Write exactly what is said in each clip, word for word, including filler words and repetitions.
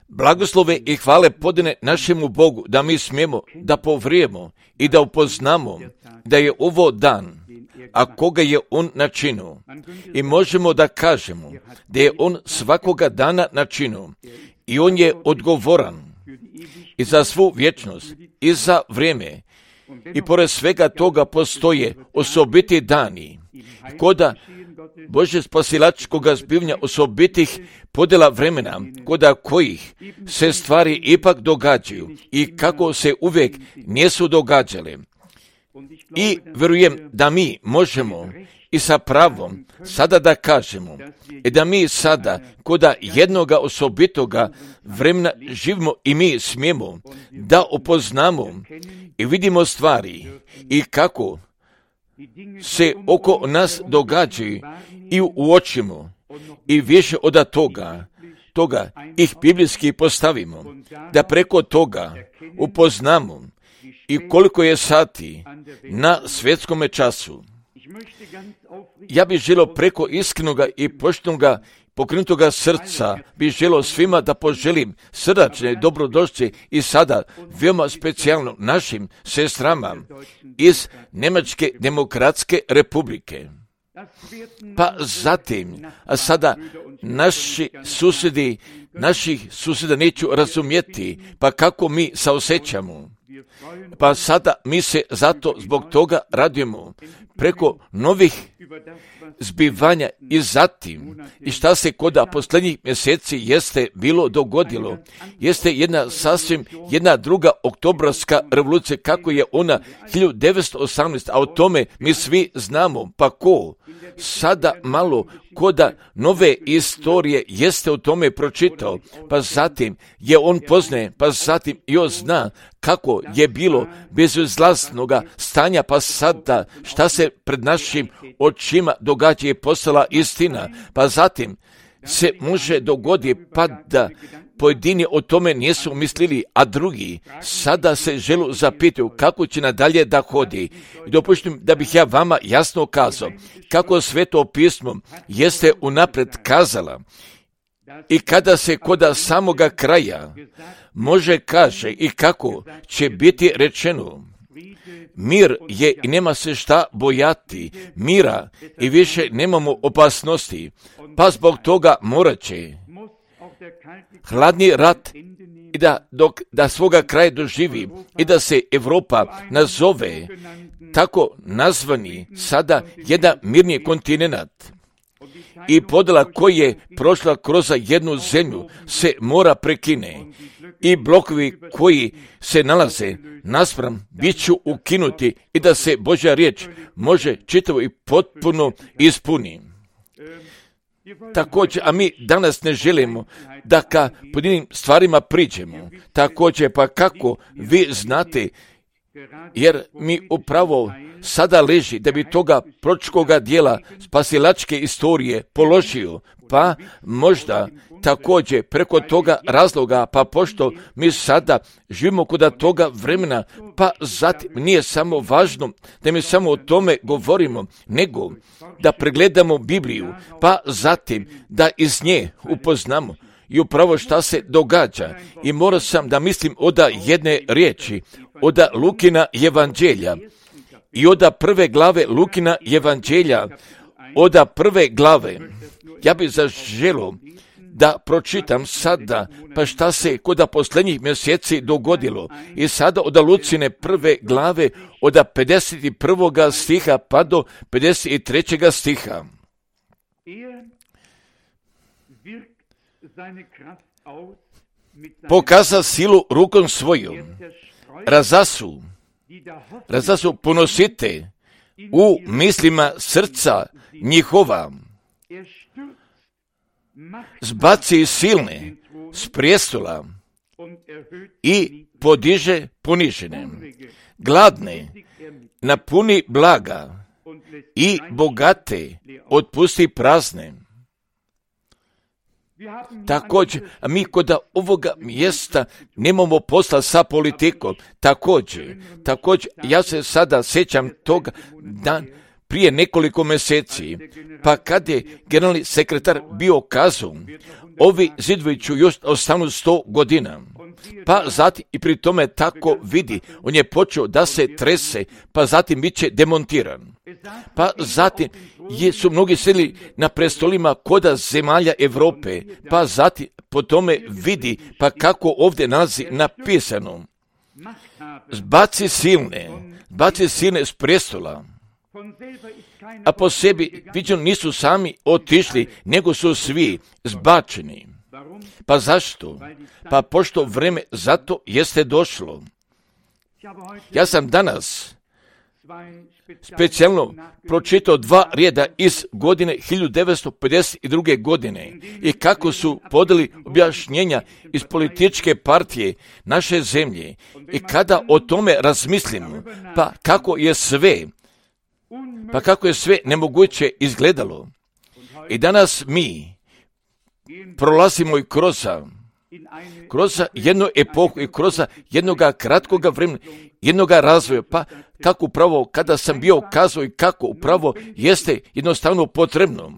Blagoslove i hvale podane našemu Bogu da mi smijemo da povrijemo i da upoznamo da je ovo dan, a koga je On načinio. I možemo da kažemo da je On svakoga dana načinio i On je odgovoran i za svu vječnost i za vrijeme. I pored svega toga postoje osobiti dani, koda Bože spasilačkoga zbivanja osobitih podjela vremena, koda kojih se stvari ipak događaju i kako se uvijek nisu događale. I vjerujem da mi možemo i sa pravom sada da kažemo i da mi sada koda jednoga osobitoga vremena živimo i mi smijemo da upoznamo i vidimo stvari i kako se oko nas događaju i uočimo i više od toga, toga ih biblijski postavimo, da preko toga upoznamo i koliko je sati na svjetskome času. Ja bih želio preko iskrenoga i poštenoga pokrenutoga srca bih želio svima da poželim srdačne dobrodošlice i sada veoma specijalno našim sestrama iz Njemačke demokratske republike. Pa zatim, a sada naši susjedi, naših susjeda neću razumjeti, pa kako mi saosjećamo. Pa sada mi se zato zbog toga radujemo preko novih zbivanja i zatim i šta se koda posljednjih mjeseci jeste bilo dogodilo. Jeste jedna sasvim jedna druga oktobarska revolucija kako je ona hiljadu devetsto osamnaeste. A o tome mi svi znamo. Pa ko sada malo koda nove istorije jeste o tome pročitao, pa zatim je on poznaje, pa zatim i on zna kako je bilo bezizlaznoga stanja, pa sada šta se pred našim očima događa je postala istina, pa zatim se može dogoditi pa da pojedini o tome nisu mislili, a drugi sada se želu zapitaju kako će nadalje da hodi. I dopuštim da bih ja vama jasno kazao kako Sveto pismo jeste unapred kazala i kada se koda samoga kraja može kaže i kako će biti rečeno. Mir je i nema se šta bojati, mira i više nemamo opasnosti, pa zbog toga morat će hladni rat i da, dok, da svoga kraja doživi i da se Europa nazove tako nazvani sada jedan mirni kontinent. I podjela koja je prošla kroz jednu zemlju se mora prekine i blokovi koji se nalaze naspram bit ću ukinuti i da se Božja riječ može čitavo i potpuno ispuni. Također, a mi danas ne želimo da ka pojedinim stvarima priđemo. Također, pa kako vi znate, jer mi upravo sada leži da bi toga pročkoga dijela spasilačke istorije položio, pa možda također preko toga razloga, pa pošto mi sada živimo kod toga vremena, pa zatim nije samo važno da mi samo o tome govorimo, nego da pregledamo Bibliju, pa zatim da iz nje upoznamo i upravo šta se događa. I morao sam da mislim oda jedne riječi, oda Lukina evanđelja i oda prve glave Lukina evanđelja, oda prve glave. Ja bih zaželio da pročitam sada, pa šta se koda posljednjih mjeseci dogodilo. I sada od Lucine prve glave, od pedeset prvog stiha pa do pedeset trećeg stiha. Pokaza silu rukom svojom, razasu, razasu ponosite u mislima srca njihova, zbaci silne s prijestola i podiže ponižene, gladne napuni blaga i bogate otpusti prazne. Također, a mi kod ovoga mjesta nemamo posla sa politikom. Također, također, ja se sada sjećam toga dan prije nekoliko mjeseci, pa kad je generalni sekretar bio kazao, ovi zidovi ću još ostanu sto godina. Pa zatim i pri tome tako vidi, on je počeo da se trese, pa zatim bit će demontiran. Pa zatim je, su mnogi sjedili na prestolima koda zemalja Europe, pa zatim po tome vidi, pa kako ovdje nalazi napisano, zbaci silne, zbaci silne s prestola. A po sebi viđeno nisu sami otišli, nego su svi zbačeni. Pa zašto? Pa pošto vreme zato jeste došlo. Ja sam danas specijalno pročitao dva rijeda iz godine hiljadu devetsto pedeset druge. godine i kako su podali objašnjenja iz političke partije naše zemlje i kada o tome razmislimo, pa kako je sve, pa kako je sve nemoguće izgledalo. I danas mi prolazimo i kroz kroz jednu epohu i kroz jednoga kratkoga vremena, jednoga razvoja, pa kako upravo kada sam bio kazao i kako upravo jeste jednostavno potrebno.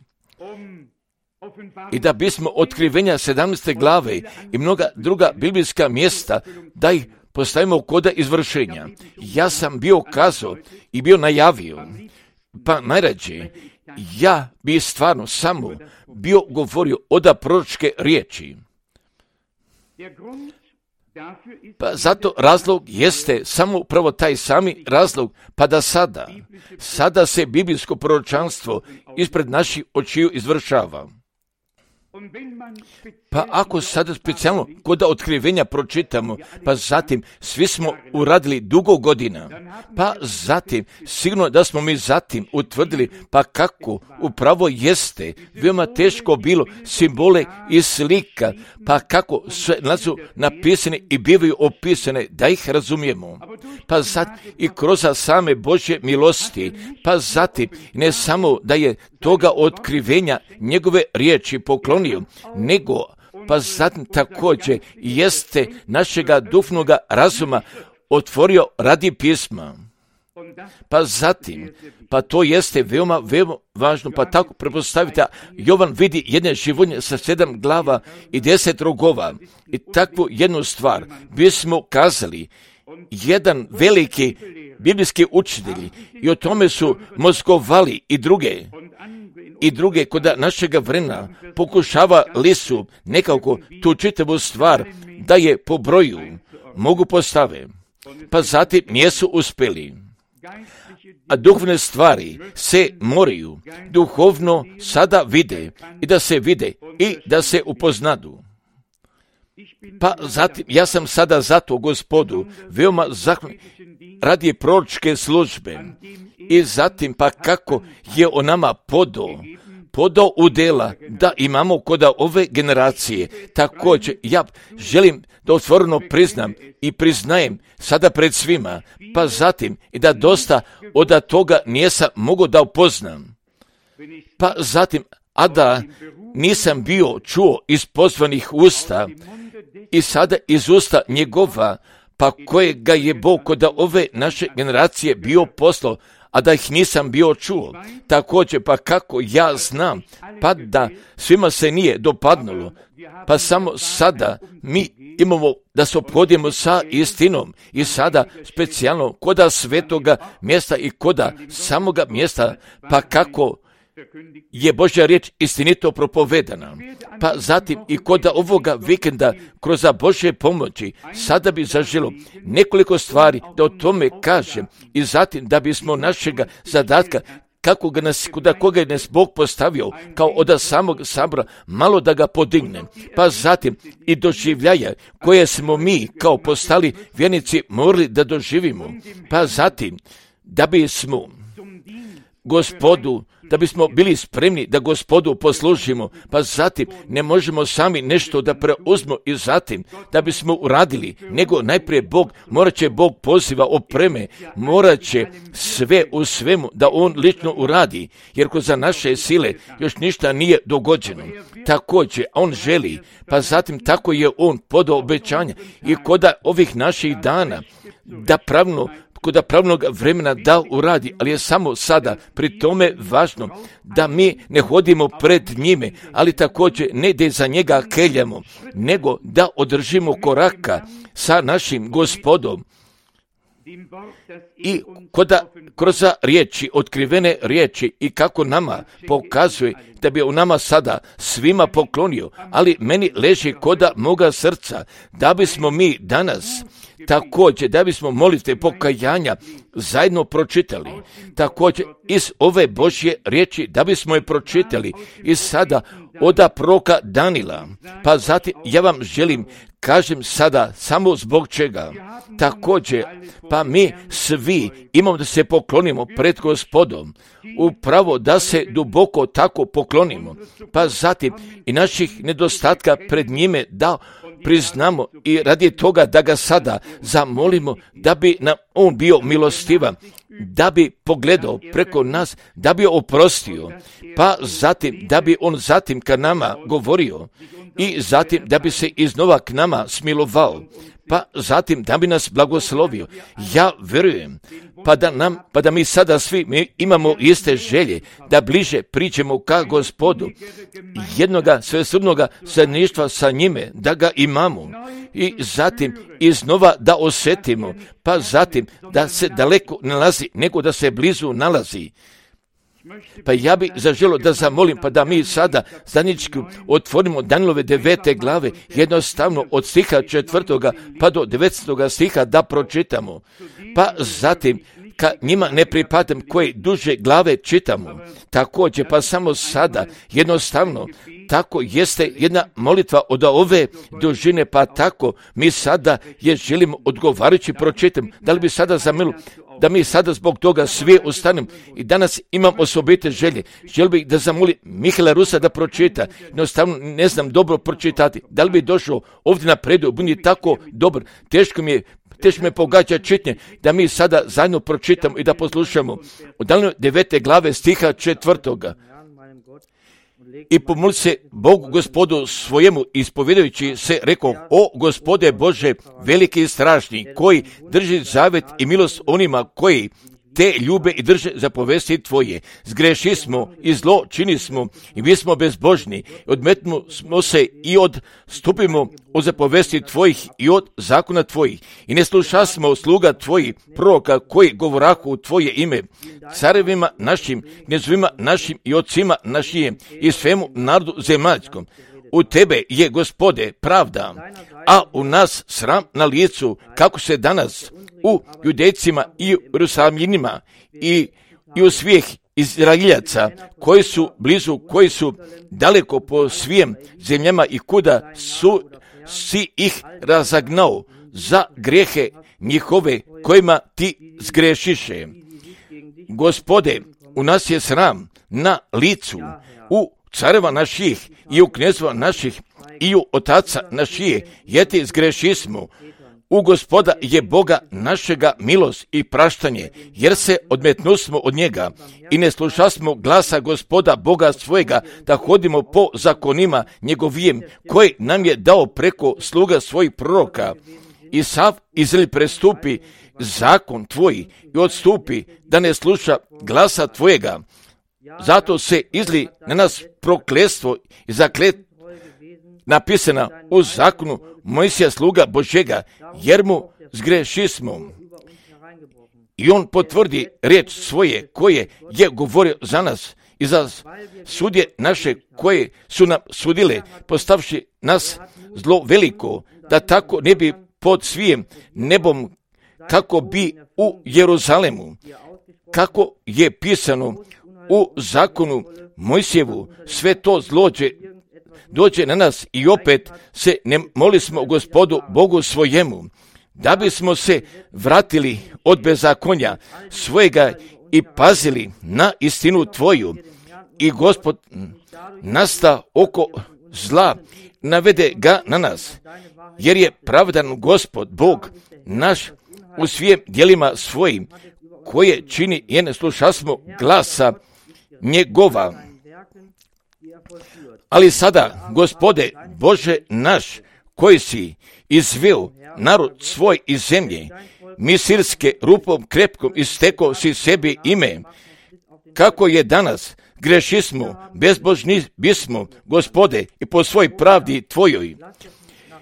I da bismo otkrivenja sedamnaeste glave i mnoga druga biblijska mjesta, da ih postavimo koda izvršenja. Ja sam bio kazao i bio najavio, pa najrađe, ja bi stvarno samo bio govorio oda proročke riječi. Pa zato razlog jeste samo upravo taj sami razlog, pa da sada, sada se biblijsko proročanstvo ispred naših očiju izvršava. Pa ako sada specijalno kod otkrivenja pročitamo, pa zatim svi smo uradili dugo godina, pa zatim sigurno da smo mi zatim utvrdili pa kako upravo jeste veoma teško bilo simbole i slika, pa kako sve su napisane i bivaju opisane da ih razumijemo. Pa zatim i kroz same Božje milosti, pa zatim ne samo da je toga otkrivenja njegove riječi poklonio, nego pa zatim također jeste našega duhovnoga razuma otvorio radi pisma. Pa zatim, pa to jeste veoma, veoma važno, pa tako prepostavite, Jovan vidi jedne životinje sa sedam glava i deset rogova i takvu jednu stvar bismo kazali, jedan veliki biblijski učitelji i o tome su mozgovali i druge i druge kod našega vremena pokušavali su nekako tu čitavu stvar da je po broju mogu postave, pa zatim nisu uspjeli. A duhovne stvari se moraju duhovno sada vide i da se vide i da se upoznadu. Pa zatim, ja sam sada zato Gospodu veoma zahvalan radi proročke službe i zatim pa kako je o nama podo, podo udjela da imamo kod ove generacije. Također ja želim da otvoreno priznam i priznajem sada pred svima, pa zatim i da dosta od toga nisam mogao da upoznam. Pa zatim, a da nisam bio čuo iz pozvanih usta i sada iz usta njegova, pa kojega je Bog kod ove naše generacije bio poslao, a da ih nisam bio čuo. Također, pa kako ja znam, pa da svima se nije dopadnulo, pa samo sada mi imamo da se ophodimo sa istinom i sada specijalno koda svetoga mjesta i koda samoga mjesta, pa kako je Božja riječ istinito propovedana. Pa zatim i kod ovoga vikenda kroz Božje pomoći sada bi zaželo nekoliko stvari da o tome kažem i zatim da bismo našega zadatka kako ga nas, kuda koga je nas Bog postavio kao od samog sabora malo da ga podigne. Pa zatim i doživljaja koje smo mi kao postali vjernici morali da doživimo. Pa zatim da bismo Gospodu, da bismo bili spremni da Gospodu poslužimo, pa zatim ne možemo sami nešto da preuzmo i zatim da bismo uradili, nego najprije Bog, morat će Bog poziva opreme, morat će sve u svemu da On lično uradi, jer ko za naše sile još ništa nije dogođeno. Također, On želi, pa zatim tako je On podao obećanja i kod ovih naših dana da pravno netko da pravnog vremena da uradi, ali je samo sada pri tome važno da mi ne hodimo pred njime, ali također ne da za njega keljamo, nego da održimo koraka sa našim Gospodom. I koda kroz riječi, otkrivene riječi i kako nama pokazuje da bi u nama sada svima poklonio, ali meni leži koda moga srca, da bismo mi danas također, da bismo molitve pokajanja zajedno pročitali, također iz ove Božje riječi, da bismo je pročitali i sada oda proroka Danila, pa zatim ja vam želim, kažem sada samo zbog čega, također, pa mi svi imamo da se poklonimo pred Gospodom, upravo da se duboko tako poklonimo, pa zatim i naših nedostatka pred njime da priznamo i radi toga da ga sada zamolimo da bi nam on bio milostivan, da bi pogledao preko nas, da bi oprostio, pa zatim da bi on zatim ka nama govorio i zatim da bi se iznova k nama smilovao, pa zatim da bi nas blagoslovio. Ja vjerujem, pa da, nam, pa da mi sada svi mi imamo iste želje, da bliže priđemo ka Gospodu, jednoga svesrdnoga zajedništva sa njime, da ga imamo i zatim iznova da osjetimo, pa zatim da se daleko nalazi, nego da se blizu nalazi. Pa ja bih zaželio da zamolim, pa da mi sada zajednički otvorimo Danilove devete glave, jednostavno od stiha četvrtoga pa do devetstoga stiha da pročitamo. Pa zatim, ka njima ne pripadam koje duže glave čitamo. Također, pa samo sada, jednostavno, tako jeste jedna molitva od ove dužine, pa tako mi sada je želimo odgovarajući pročitam. Da li bi sada zamilio da mi sada zbog toga svi ustanemo i danas imam osobite želje. Želim bih da zamoli Mihaela Rusa da pročita. Jednostavno ne znam dobro pročitati. Da li bi došao ovdje na predu, budi tako dobar. Teško mi je, teško me pogađa čitnje da mi sada zajedno pročitamo i da poslušamo. Od Danilove devete glave stiha četvrtoga. I pomoli se Bogu Gospodu svojemu, ispovjedajući se, rekao: o Gospode Bože, veliki i strašni, koji drži zavet i milost onima koji te ljube i drže zapovesti tvoje. Zgreši smo i zlo čini smo i mi smo bezbožni. Odmetnu smo se i odstupimo od zapovesti tvojih i od zakona tvojih. I ne sluša smo sluga tvojih proroka koji govorahu u tvoje ime. Carevima našim, knezovima našim i ocima našim i svemu narodu zemaljskom. U tebe je, Gospode, pravda, a u nas sram na licu, kako se danas u Judejcima i u Jerusalimljanima i, i u svih Izraeljaca koji su blizu, koji su daleko po svim zemljama i kuda su si ih razagnao za grijehe njihove kojima ti zgrešiše. Gospode, u nas je sram na licu, u careva naših i u knezova naših i u otaca naših, jer ti zgreši smo. U Gospoda je Boga našega milost i praštanje, jer se odmetnusmo od njega i ne slušasmo glasa Gospoda Boga svojega, da hodimo po zakonima njegovijem, koji nam je dao preko sluga svojih proroka. I sav Izrael prestupi zakon tvoj i odstupi, da ne sluša glasa tvojega. Zato se izli na nas prokletstvo i zaklet napisana u zakonu Mojsija sluga Božega, jer mu zgreši smo. I on potvrdi riječ svoje koje je govorio za nas i za sudje naše koje su nam sudile, postavši nas zlo veliko, da tako ne bi pod svijem nebom, kako bi u Jeruzalemu, kako je pisano u zakonu Mojsijevu, sve to zlođe dođe na nas i opet se ne molismo Gospodu Bogu svojemu, da bismo se vratili od bezakonja svojega i pazili na istinu tvoju. I Gospod nasta oko zla, navede ga na nas, jer je pravdan Gospod Bog naš u svim djelima svojim, koje čini i ne slušasmo glasa njegova. Ali sada, Gospode Bože naš, koji si izveo narod svoj iz zemlje misirske rupom krepkom isteko si sebi ime, kako je danas, grešismo, bezbožni bismo, Gospode, i po svoj pravdi Tvojoj.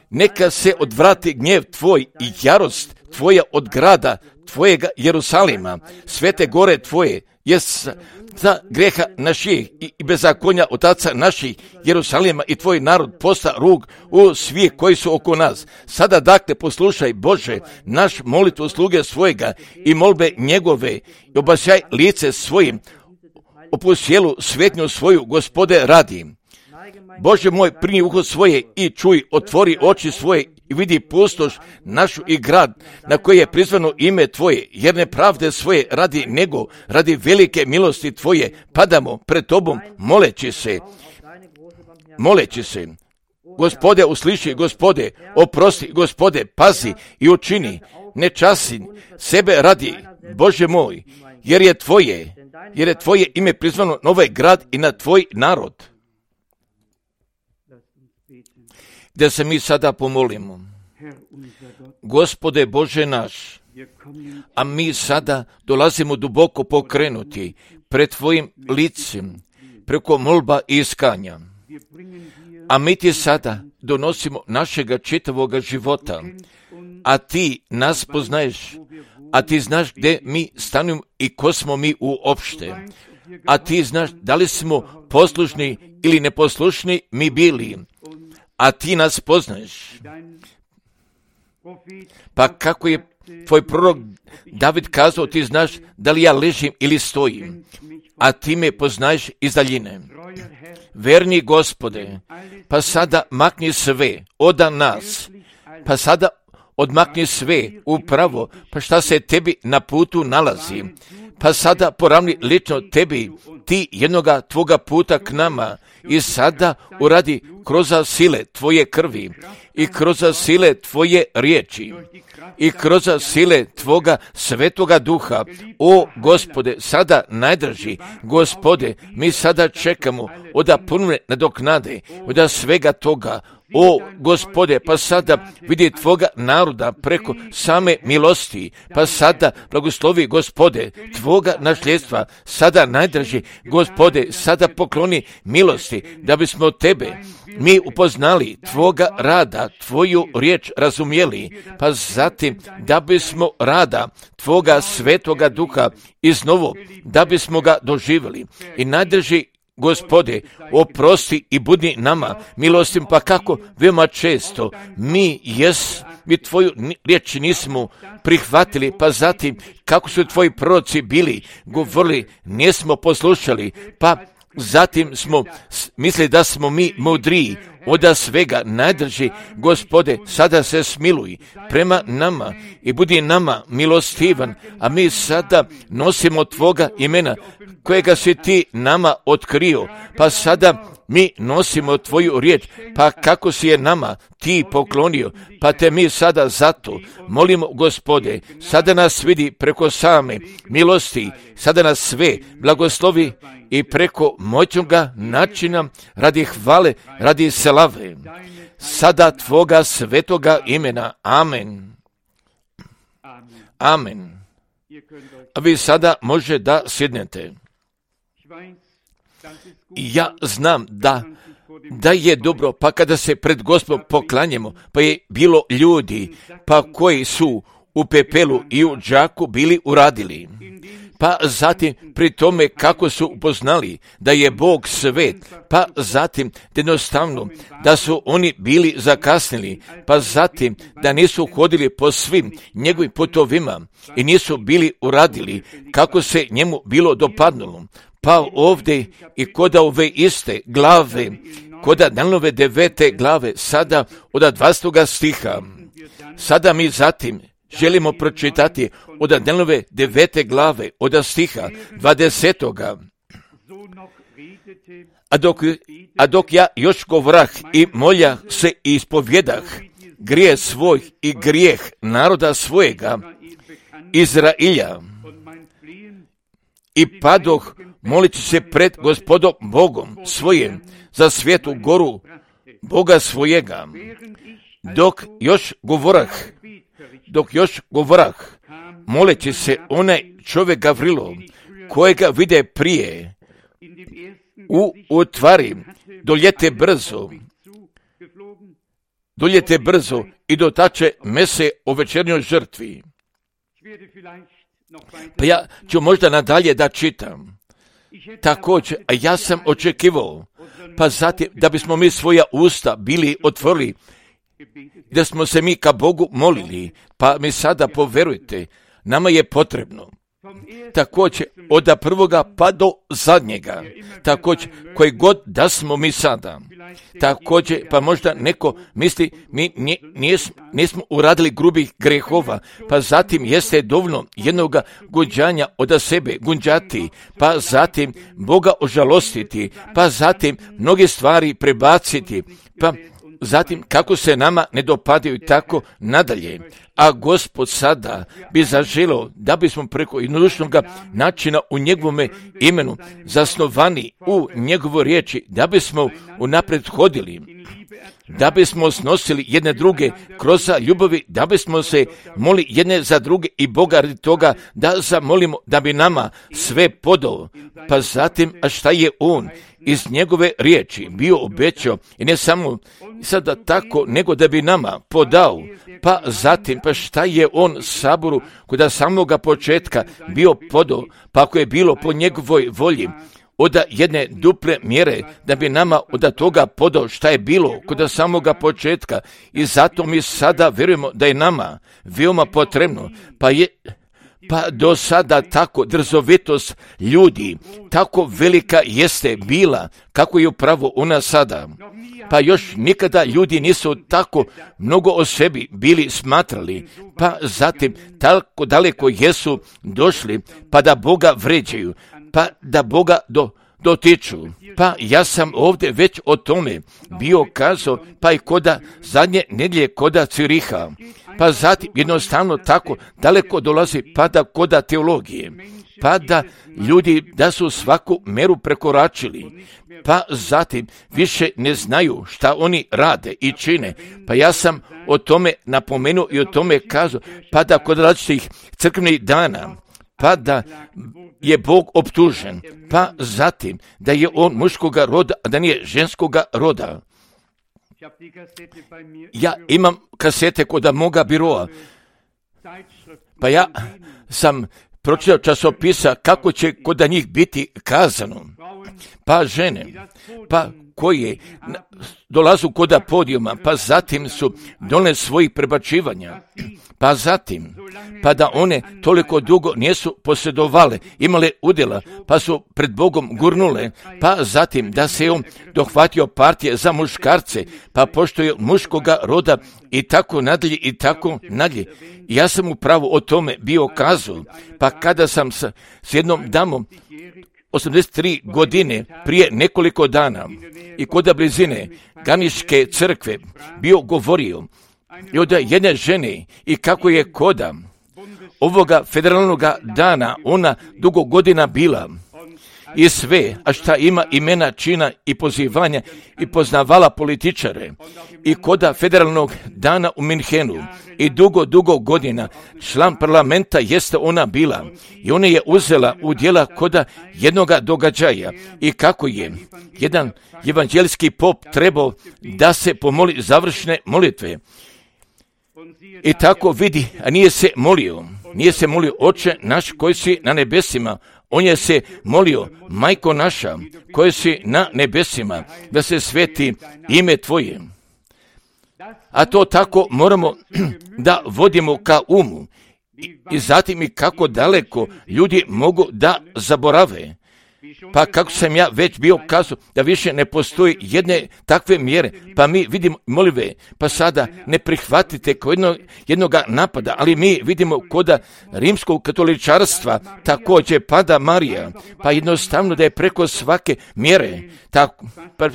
Neka se odvrati gnjev Tvoj i jarost Tvoja od grada Tvojega Jerusalima, svete gore Tvoje, jes za greha naših i bezakonja otaca naših Jerusalima i Tvoj narod posta rug u svih koji su oko nas. Sada dakle poslušaj, Bože, naš molitvu sluge svojega i molbe njegove i obasjaj lice svojim, opusjelu svetnju svoju, Gospode, radi. Bože moj, primi uho svoje i čuj, otvori oči svoje i vidi pustoš našu i grad na koji je prizvano ime Tvoje, jer nepravde svoje radi nego, radi velike milosti Tvoje, padamo pred Tobom, moleći se, moleći se. Gospode, usliši, Gospode, oprosti, Gospode, pazi i učini, ne časi sebe radi, Bože moj, jer je Tvoje, jer je Tvoje ime prizvano na ovaj grad i na Tvoj narod. Da se mi sada pomolimo. Gospode Bože naš, a mi sada dolazimo duboko pokrenuti pred Tvojim licem, preko molba i iskanja. A mi Ti sada donosimo našega čitavoga života, a Ti nas poznaješ, a Ti znaš gdje mi stanujemo i ko smo mi uopšte, a Ti znaš da li smo poslušni ili neposlušni mi bili, a Ti nas poznaješ. Pa kako je Tvoj prorok David kazao, Ti znaš da li ja ležim ili stojim, a Ti me poznaješ iz daljine. Verni Gospode, pa sada makni sve od nas, pa sada odmakni sve upravo, pa šta se Tebi na putu nalazi, pa sada poravni lično Tebi, Ti jednoga Tvoga puta k nama i sada uradi kroz sile Tvoje krvi i kroz sile Tvoje riječi i kroz sile Tvoga svetoga duha. O Gospode, sada najdraži, Gospode, mi sada čekamo od punne nadoknade, od svega toga. O Gospode, pa sada vidi Tvoga naroda preko same milosti, pa sada blagoslovi, Gospode, Tvoga nasljedstva, sada najdraži, Gospode, sada pokloni milosti, da bismo Tebe mi upoznali, Tvoga rada, Tvoju riječ razumjeli, pa zatim da bismo rada Tvoga svetoga duha iznovo, da bismo ga doživjeli. I najdrži, Gospode, oprosti i budi nama milostim, pa kako veoma često mi jes, mi Tvoju riječ nismo prihvatili, pa zatim kako su Tvoji proroci bili, govorili, nismo poslušali, pa zatim smo mislili da smo mi mudriji od svega. Najdrži, Gospode, sada se smiluj prema nama i budi nama milostivan, a mi sada nosimo Tvoga imena kojega si Ti nama otkrio, pa sada mi nosimo Tvoju riječ, pa kako si je nama Ti poklonio, pa Te mi sada zato molimo, Gospode, sada nas vidi preko same milosti, sada nas sve blagoslovi i preko moćnoga načina radi hvale, radi slave, sada Tvoga svetoga imena. Amen. Amen. A vi sada može da sjednete. Ja znam da, da je dobro, pa kada se pred Gospodom poklanjamo, pa je bilo ljudi, pa koji su u pepelu i u džaku bili uradili. Pa zatim pri tome kako su upoznali da je Bog svet, pa zatim jednostavno da su oni bili zakasnili, pa zatim da nisu hodili po svim njegovim putovima i nisu bili uradili kako se njemu bilo dopadnulo. Pa ovdje i kod ove iste glave, kod Danielove devete glave, sada od dvadesetog stiha, sada mi zatim želimo pročitati od Danielove devete glave, od stiha dvadesetoga. A dok, a dok ja još govorah i molja se i ispovjedah grijeh svoj i grijeh naroda svojega, Izrailja, i padoh molići se pred Gospodom Bogom svojim za svetu goru Boga svojega. Dok još govorah, dok još govorah, moleći se onaj čovjek Gavrilo, kojega vide prije, u, u tvari, doljete brzo, doljete brzo i dotače mese o večernjoj žrtvi. Pa ja ću možda nadalje da čitam. Također, a ja sam očekivao, pa zatim da bismo mi svoja usta bili otvorili, da smo se mi ka Bogu molili, pa mi sada poverujte, nama je potrebno. Također, od prvoga pa do zadnjega, također, koji god da smo mi sada. Također, pa možda neko misli, mi nije, nismo, nismo uradili grubih grehova, pa zatim jeste dovoljno jednoga gunđanja od sebe, gunđati, pa zatim Boga ožalostiti, pa zatim mnoge stvari prebaciti, pa zatim kako se nama ne dopadaju tako nadalje. A Gospod sada bi zaželio da bismo preko jednodušnog načina u njegovome imenu zasnovani u njegovoj riječi, da bismo unaprijed hodili, da bismo snosili jedne druge kroz ljubavi, da bismo se molili jedne za druge i Boga radi toga da zamolimo da bi nama sve podao. Pa zatim, a šta je On iz njegove riječi bio obećao, i ne samo sada tako, nego da bi nama podao. Pa zatim, pa šta je On saboru kod samoga početka bio podao, pa ako je bilo po njegovoj volji, od jedne duple mjere, da bi nama od toga podao šta je bilo kod samoga početka. I zato mi sada vjerujemo da je nama veoma potrebno, pa je pa do sada tako drzovitost ljudi, tako velika jeste bila, kako je upravo ona sada. Pa još nikada ljudi nisu tako mnogo o sebi bili smatrali, pa zatim tako daleko jesu došli, pa da Boga vređaju, pa da Boga do, dotiču. Pa ja sam ovdje već o tome bio kazao, pa i koda zadnje nedjelje koda Ciriha. Pa zatim jednostavno tako daleko dolazi pa da koda teologije, pa da ljudi da su svaku meru prekoračili, pa zatim više ne znaju šta oni rade i čine. Pa ja sam o tome napomenuo i o tome kazao, pa da kod različitih crkvenih dana, pa da je Bog optužen, pa zatim da je On muškoga roda, a da nije ženskoga roda. Ja imam kasete kod moga biroa, pa ja sam pročitao časopisa kako će kod njih biti kazano. Pa žene, pa koje dolazu kod podijuma, pa zatim su donijele svojih prebačivanja, pa zatim, pa da one toliko dugo nisu posjedovale, imale udjela, pa su pred Bogom gurnule, pa zatim da se on dohvatio partije za muškarce, pa pošto je muškoga roda i tako nadalje i tako nadalje. Ja sam upravo o tome bio kazao, pa kada sam sa, s jednom damom osamdeset tri godine prije nekoliko dana i kod blizine Ganiške crkve bio govorio i od jedne žene i kako je koda ovoga federalnog dana ona dugo godina bila i sve, a šta ima imena, čina i pozivanja i poznavala političare i koda federalnog dana u Minhenu i dugo, dugo godina član parlamenta jeste ona bila i ona je uzela u djela koda jednoga događaja i kako je jedan evanđelski pop trebao da se pomoli završne molitve. I tako vidi, a nije se molio, nije se molio Oče naš koji si na nebesima, on je se molio, Majko naša koji si na nebesima, da se sveti ime Tvoje. A to tako moramo da vodimo ka umu i, i zatim i kako daleko ljudi mogu da zaborave. Pa kako sam ja već bio kazao da više ne postoji jedne takve mjere, pa mi vidimo molive, pa sada ne prihvatite kao jedno, jednoga napada, ali mi vidimo koda rimskog katoličarstva također pada Marija, pa jednostavno da je preko svake mjere, tako, pa,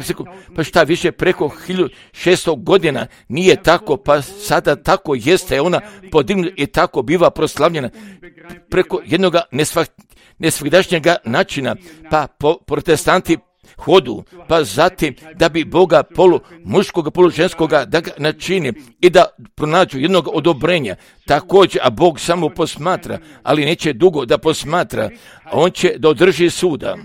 pa šta više preko hiljadu šesto godina nije tako, pa sada tako jeste, ona podignuta i tako biva proslavljena preko jednoga nesvah, nesvagdašnjega načina, pa po, protestanti hodu, pa zatim da bi Boga polu muškoga, polu ženskoga da ga načini i da pronađu jednog odobrenja. Također, a Bog samo posmatra, ali neće dugo da posmatra, a on će da održi suda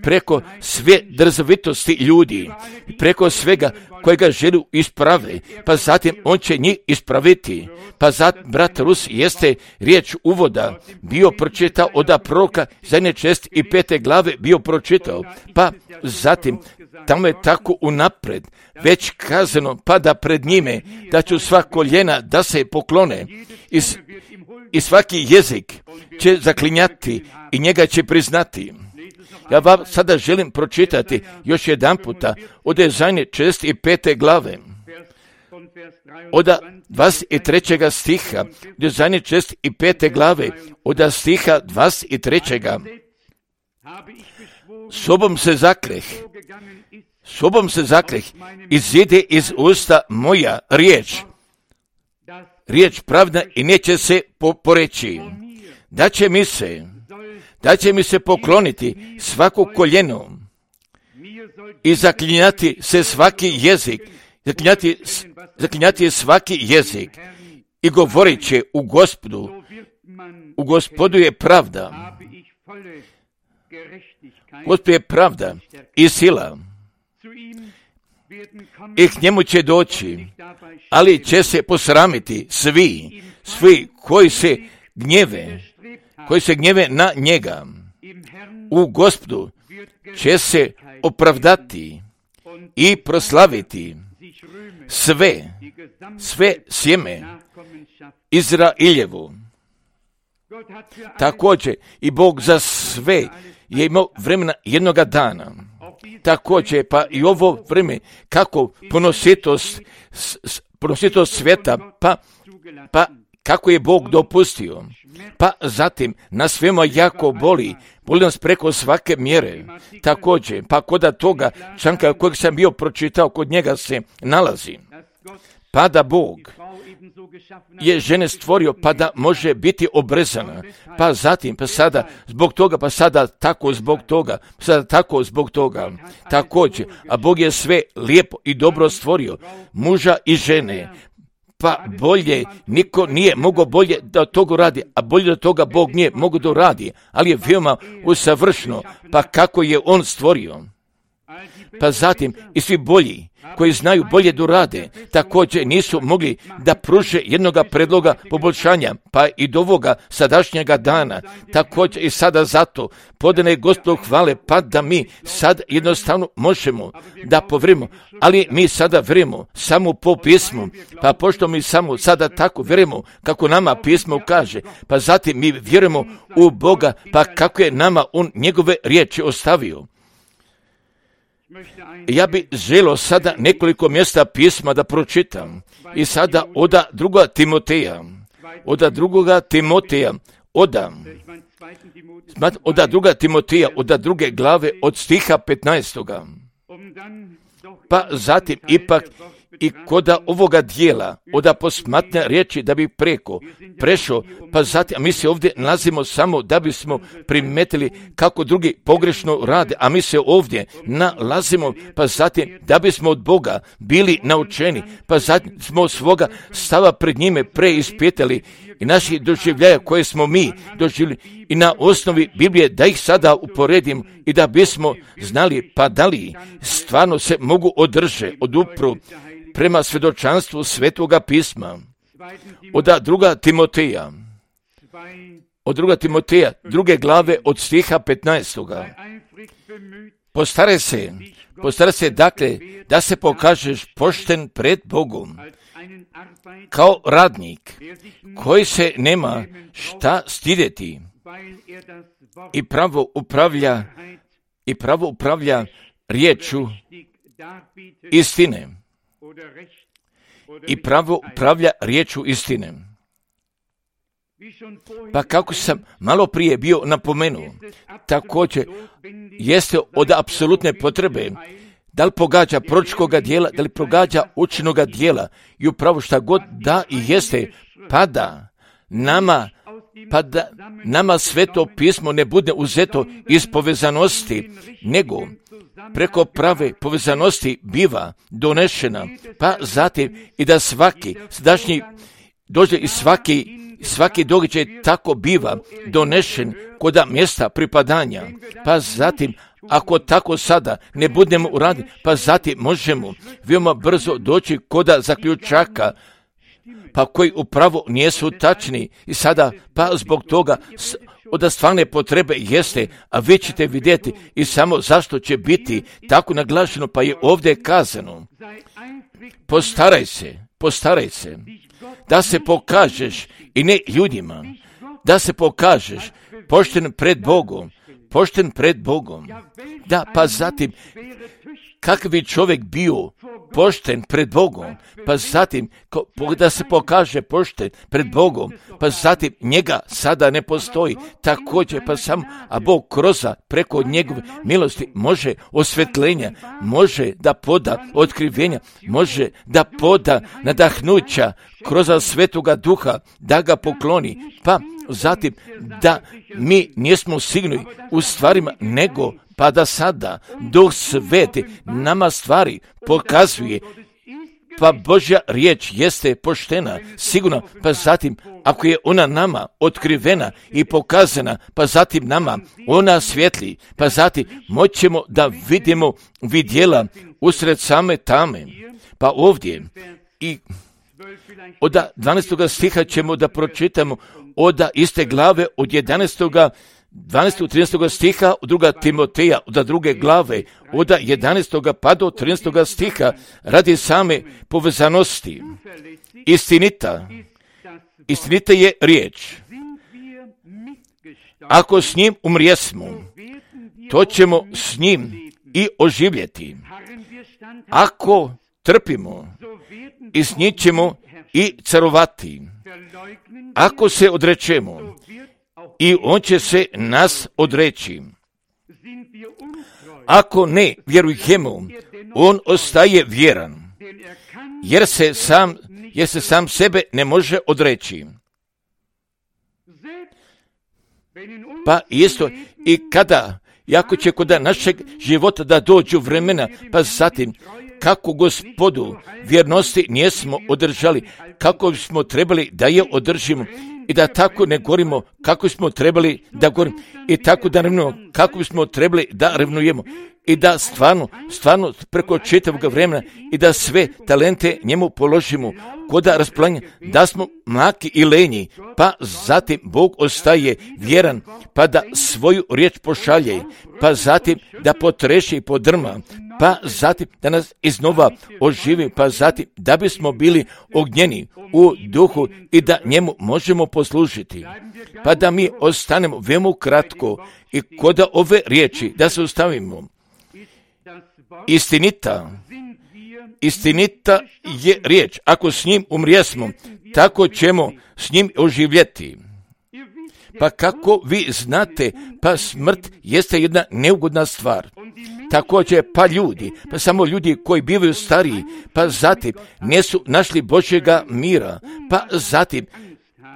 preko sve drzovitosti ljudi, preko svega kojega želi isprave, pa zatim on će njih ispraviti. Pa zatim, brat Rus, jeste riječ uvoda bio pročitao od proroka zadnje čest i pete glave bio pročitao, pa zatim tamo je tako unapred već kazano, pa da pred njime da ću sva koljena da se poklone i, i svaki jezik će zaklinjati i njega će priznati. Ja vam sada želim pročitati još jedan puta od zadnje čest i pete glave. Od dvadeset trećeg stiha, od zadnje čest i pete glave, od stiha dvadeset trećeg Sobom se zakleh, sobom se zakleh, izide iz usta moja riječ, riječ pravda i neće se poreći. Da će mi se, da će mi se pokloniti svako koljeno i zaklinjati se svaki jezik, zaklinjati, zaklinjati svaki jezik i govorit će u Gospodu, u Gospodu je pravda, Gospod je pravda i sila i k njemu će doći, ali će se posramiti svi, svi koji se gnjeve, koji se gnjeve na njega. U Gospodu će se opravdati i proslaviti sve, sve sjeme Izrailjevu. Također i Bog za sve je imao vremena jednoga dana. Također pa i ovo vrijeme kako ponositost, ponositost svijeta, pa, pa kako je Bog dopustio. Pa zatim nas svema jako boli, boli nas preko svake mjere. Također, pa kod toga članka kojeg sam bio pročitao, kod njega se nalazi. Pa da Bog je žene stvorio pa da može biti obrezana, pa zatim, pa sada zbog toga, pa sada tako zbog toga, pa sada tako zbog toga. Također, a Bog je sve lijepo i dobro stvorio, muža i žene, pa bolje, niko nije mogao bolje da toga radi, a bolje da toga Bog nije mogao da radi, ali je veoma usavršeno, pa kako je on stvorio. Pa zatim i svi bolji koji znaju bolje da rade, također nisu mogli da pruže jednoga predloga poboljšanja, pa i do ovoga sadašnjega dana, također i sada zato podane Gospodu hvale, pa da mi sad jednostavno možemo da povrimo, ali mi sada vjerujemo samo po pismu, pa pošto mi samo sada tako vjerujemo kako nama pismo kaže, pa zatim mi vjerujemo u Boga, pa kako je nama on njegove riječi ostavio. Ja bi želio sada nekoliko mjesta pisma da pročitam. I sada oda druga Timoteja, oda drugoga Timoteja, oda, oda druga Timoteja, oda druge glave od stiha petnaestoga. Pa zatim ipak i koda ovoga dijela, oda posmatne riječi da bi preko prešao, pa zatim, a mi se ovdje nalazimo samo da bismo primetili kako drugi pogrešno rade, a mi se ovdje nalazimo, pa zatim da bismo od Boga bili naučeni, pa zatim smo svoga stava pred njime preispitali i naših doživljaja koje smo mi doživjeli i na osnovi Biblije da ih sada uporedim i da bismo znali pa da li stvarno se mogu održe, odupru prema svjedočanstvu Svetoga pisma. Od druga Timoteja, od druga Timoteja, druge glave od stiha petnaestoga. Postare se, postare se dakle da se pokažeš pošten pred Bogom, kao radnik koji se nema šta stidjeti i pravo upravlja i pravo upravlja riječu istine. I pravo upravlja riječu istine. Pa kako sam malo prije bio napomenuo, također jeste od apsolutne potrebe da li pogađa proročkoga dijela, da li pogađa učenoga dijela i upravo šta god da i jeste, pa da nama, pa da nama sveto pismo ne bude uzeto iz povezanosti, nego preko prave povezanosti biva donešena, pa zatim i da svaki sadašnji dođe i svaki, svaki događaj tako biva donešen kod mjesta pripadanja, pa zatim ako tako sada ne budemo uradili, pa zatim možemo veoma brzo doći kod zaključaka, pa koji upravo nijesu tačni i sada, pa zbog toga od stvarne potrebe jeste, a vi ćete vidjeti i samo zašto će biti tako naglašeno, pa je ovdje kazano, postaraj se, postaraj se, da se pokažeš i ne ljudima, da se pokažeš pošten pred Bogom, pošten pred Bogom. Da, pa zatim, kakav bi čovjek bio pošten pred Bogom, pa zatim da se pokaže pošten pred Bogom, pa zatim njega sada ne postoji, također pa samo, a Bog kroz preko njegove milosti može osvetljenja, može da poda otkrivenja, može da poda nadahnuća kroz Svetoga Duha, da ga pokloni, pa zatim da mi nismo sigurni u stvarima, nego pa da sada Duh Sveti nama stvari pokazuje, pa Božja riječ jeste poštena, sigurno, pa zatim ako je ona nama otkrivena i pokazana, pa zatim nama ona svjetli, pa zatim moćemo da vidimo vidjela usred same tame, pa ovdje i od dvanaestog stiha ćemo da pročitamo od iste glave od jedanaestog dvanaestog trinaestog stiha od druga Timoteja, od druge glave, od jedanaestog pa do trinaestog stiha, radi same povezanosti. Istinita, istinita je riječ. Ako s njim umrijesmo, to ćemo s njim i oživjeti. Ako trpimo, i s njim ćemo i carovati. Ako se odrečemo, i on će se nas odreći. Ako ne vjerujemo, on ostaje vjeran, jer se sam, jer se sam sebe ne može odreći. Pa isto i kada, jako će kod našeg života da dođu vremena, pa zatim kako Gospodu vjernosti nismo održali, kako smo trebali da je održimo, i da tako ne govorimo kako smo trebali da govorimo, i tako da revnujemo kako bismo trebali da revnujemo, i da stvarno, stvarno preko čitavog vremena i da sve talente njemu položimo kod rasplanja, da smo mlaki i lenji, pa zatim Bog ostaje vjeran, pa da svoju riječ pošalje, pa zatim da potreši i podrma, pa zatim da nas iznova oživi, pa zatim da bismo bili ognjeni u duhu i da njemu možemo poslužiti. Pa da mi ostanemo veoma kratko i kod ove riječi da se ostavimo. Istinita, istinita je riječ. Ako s njim umrijesmo, tako ćemo s njim oživjeti. Pa kako vi znate, pa smrt jeste jedna neugodna stvar. Također pa ljudi, pa samo ljudi koji bivaju stariji, pa zatim nisu našli Božjega mira, pa zatim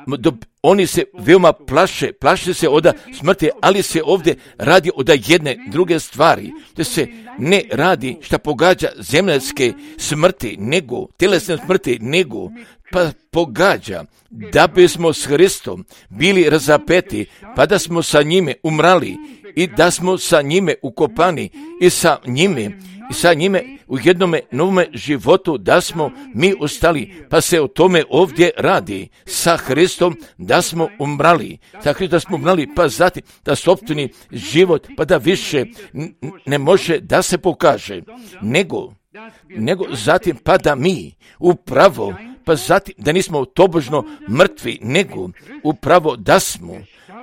do, oni se veoma plaše, plaše se od smrti, ali se ovdje radi od jedne druge stvari, da se ne radi šta pogađa zemljske smrti, nego tjelesne smrti, nego pa pogađa da bismo s Hristom bili razapeti, pa da smo sa njime umrali i da smo sa njime ukopani i sa njime i sa njime u jednome novome životu da smo mi ostali, pa se o tome ovdje radi, sa Hristom da smo umrali, sa Hristom da smo umrali, pa zatim da sopstveni život, pa da više ne može da se pokaže, nego, nego zatim pa da mi upravo, pa zatim da nismo tobožno mrtvi, nego upravo da smo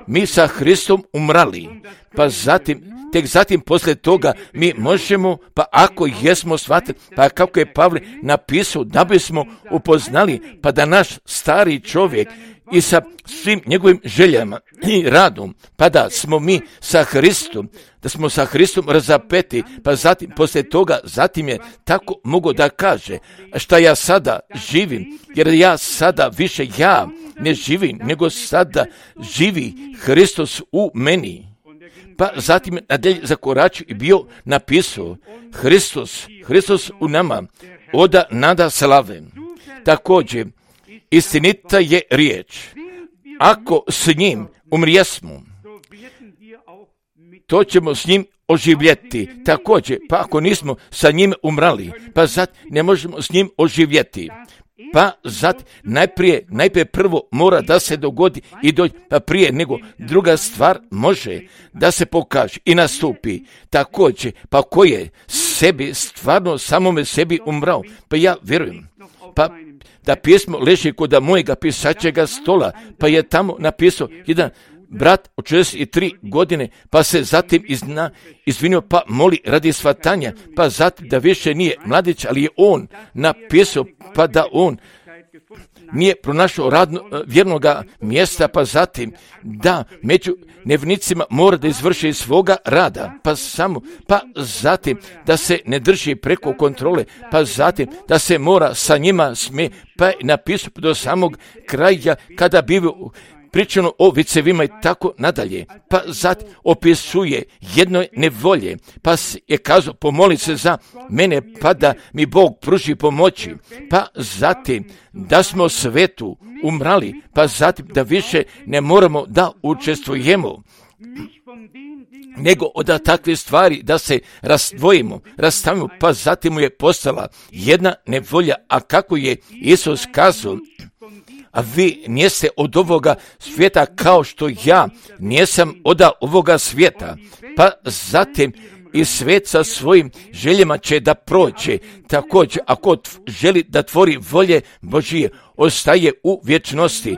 mi sa Hristom umrali, pa zatim, tek zatim poslije toga mi možemo, pa ako jesmo shvatili, pa kako je Pavle napisao, da bismo upoznali, pa da naš stari čovjek i sa svim njegovim željama i radom, pa da smo mi sa Hristom, da smo sa Hristom razapeti, pa zatim poslije toga, zatim je tako mogu da kaže, šta ja sada živim, jer ja sada više ja ne živim, nego sada živi Hristos u meni. pa zatim nadalje zakoračio i bio napisao Hristos, Hristos u nama, oda nada slave. Također, istinita je riječ. Ako s njim umrijesmo, to ćemo s njim oživjeti. Također, pa ako nismo sa njim umrali, pa zat ne možemo s njim oživjeti. Pa zat najprije, najprije prvo mora da se dogodi i dođe, pa prije nego druga stvar može da se pokaže i nastupi. Također, pa ko je sebi, stvarno samome sebi umrao, pa ja vjerujem, pa da pismo leži kod mojega pisačega stola, pa je tamo napisao jedan brat od šezdeset tri godine, pa se zatim izna, izvinio, pa moli radi svatanja, pa zatim da više nije mladić, ali je on napisao, pa da on nije pronašao radno, vjernoga mjesta, pa zatim da među nevnicima mora da izvrši svoga rada, pa samo, pa zatim da se ne drži preko kontrole, pa zatim da se mora sa njima smije, pa je napisao do samog kraja kada bi pričano o vicevima i tako nadalje, pa zatim opisuje jednoj nevolje, pa je kazao pomoli se za mene, pa da mi Bog pruži pomoći, pa zatim da smo svetu umrali, pa zatim da više ne moramo da učestvujemo, nego od takve stvari da se razdvojimo, rastavimo, pa zatim mu je postala jedna nevolja, a kako je Isus kazao, a vi nijeste od ovoga svijeta kao što ja nijesam od ovoga svijeta, pa zatim i svijet sa svojim željama će da prođe. Također, ako želi da tvori volje Božije, ostaje u vječnosti.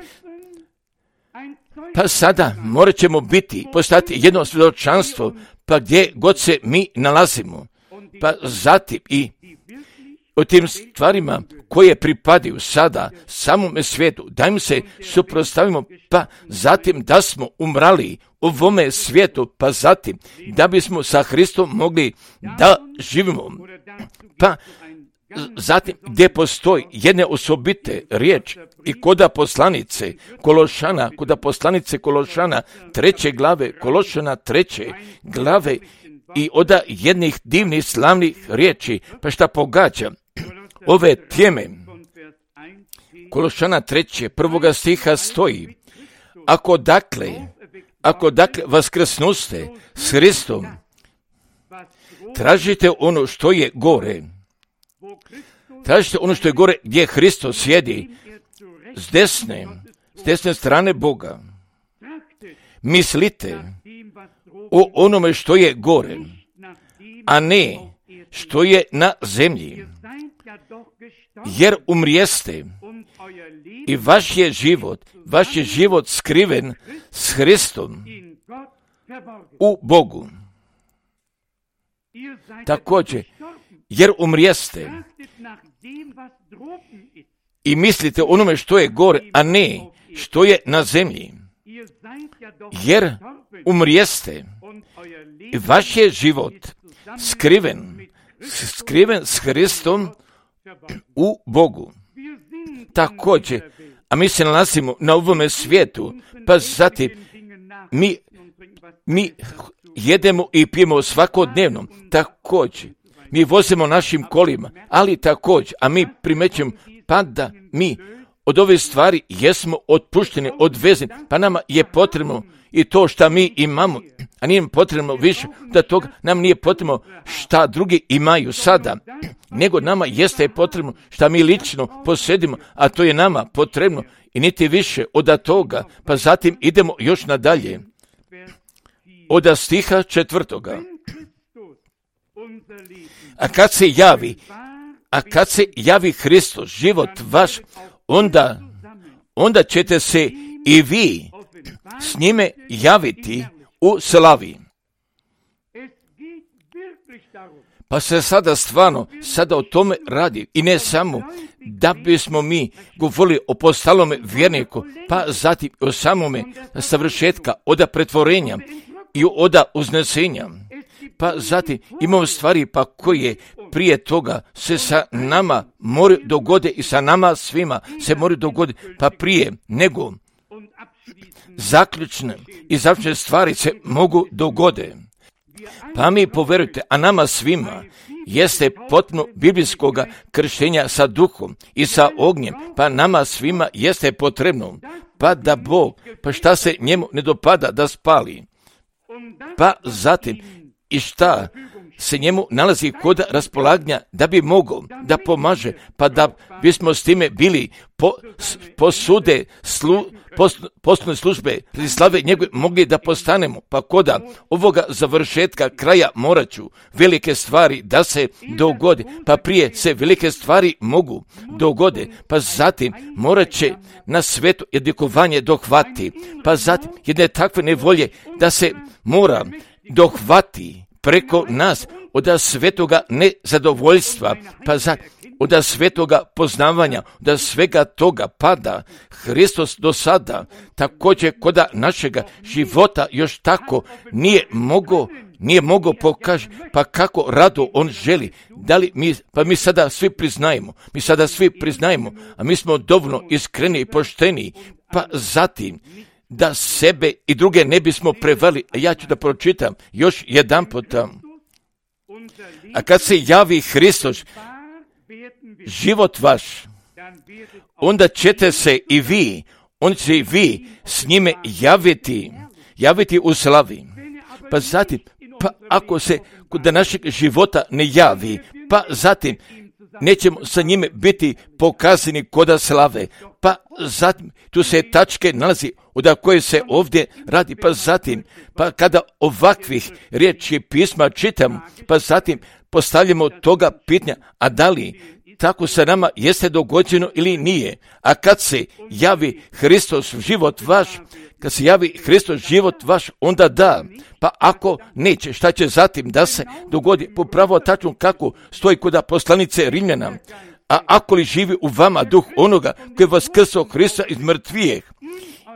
Pa sada morat ćemo biti, postati jedno svjedočanstvo, pa gdje god se mi nalazimo. Pa zatim i o tim stvarima koje pripadaju sada samome svijetu, da im se suprotstavimo, pa zatim da smo umrali u ovome svijetu, pa zatim da bismo sa Hristom mogli da živimo. Pa zatim gdje postoji jedne osobite riječ i koda poslanice Kološana, koda poslanice Kološana treće glave, Kološana treće glave i oda jednih divnih slavnih riječi, pa šta pogađa ove teme. Kološana treće, prvoga stiha stoji, ako dakle, ako dakle vaskrsnuste s Hristom, tražite ono što je gore, tražite ono što je gore gdje Hristos sjedi s desne, s desne strane Boga. Mislite o onome što je gore, a ne što je na zemlji. Jer umrijeste i vaš je život, vaš je život skriven s Hristom u Bogu. Također, jer umrijeste i mislite onome što je gore, a ne što je na zemlji. Jer umrijeste i vaš je život skriven, skriven s Hristom u Bogu. Također, a mi se nalazimo na ovome svijetu, pa zatim mi, mi jedemo i pijemo svakodnevno. Također, mi vozimo našim kolima, ali također, a mi primećujemo pa da mi od ove stvari jesmo otpušteni, odvezeni, pa nama je potrebno i to što mi imamo, a nije nam potrebno više, da toga nam nije potrebno šta drugi imaju sada, nego nama jeste potrebno šta mi lično posjedimo, a to je nama potrebno i niti više od toga, pa zatim idemo još nadalje. Od stiha četvrtoga. A kad se javi, a kad se javi Hristos, život vaš, onda, onda ćete se i vi s njime javiti u slavi. Pa se sada stvarno, sada o tome radi i ne samo da bismo mi govorili o postalome vjerniku, pa zatim o samome savršetka, oda pretvorenja i oda uznesenja. Pa zatim imamo stvari pa koje prije toga se sa nama moraju dogoditi i sa nama svima se moraju dogoditi, pa prije nego zaključne i završne stvari se mogu dogode. Pa mi poverujte, a nama svima jeste potpuno biblijskoga krštenja sa duhom i sa ognjem, pa nama svima jeste potrebno, pa da Bog, pa šta se njemu ne dopada da spali, pa zatim i šta se njemu nalazi kod raspolaganja da bi mogao da pomaže, pa da bismo s time bili po, posude slu, poslovne službe ili slave njegove mogli da postanemo, pa koda ovoga završetka kraja morat ću velike stvari da se dogode, pa prije se velike stvari mogu dogode, pa zatim morat će na svetu jedikovanje dohvati, pa zatim jedne takve nevolje da se mora dohvati preko nas od svetoga nezadovoljstva, pa za, od svetoga poznavanja, od svega toga pada Hristos do sada, također kod našega života još tako nije mogao, nije mogao pokaži, pa kako rado on želi, da li mi, pa mi sada svi priznajemo, mi sada svi priznajemo, a mi smo dovoljno iskreni i pošteni, pa zatim da sebe i druge ne bismo prevali. A ja ću da pročitam još jedan puta. A kad se javi Hristos, život vaš, onda ćete se i vi, on će i vi s njime javiti, javiti u slavi. Pa zatim, pa ako se kod našeg života ne javi, pa zatim nećemo sa njime biti pokazani koda slave, pa zatim tu se tačke nalazi od koje se ovdje radi, pa zatim, pa kada ovakvih riječi pisma čitam, pa zatim postavljamo toga pitanja, a da li tako sa nama jeste dogođeno ili nije, a kad se javi Hristos život vaš, kad se javi Hristos život vaš, onda da, pa ako neće, šta će zatim da se dogodi, popravo tačno kako stoji kod poslanice Rimljana, a ako li živi u vama duh onoga koji je vaskrsao Hrista iz mrtvijeh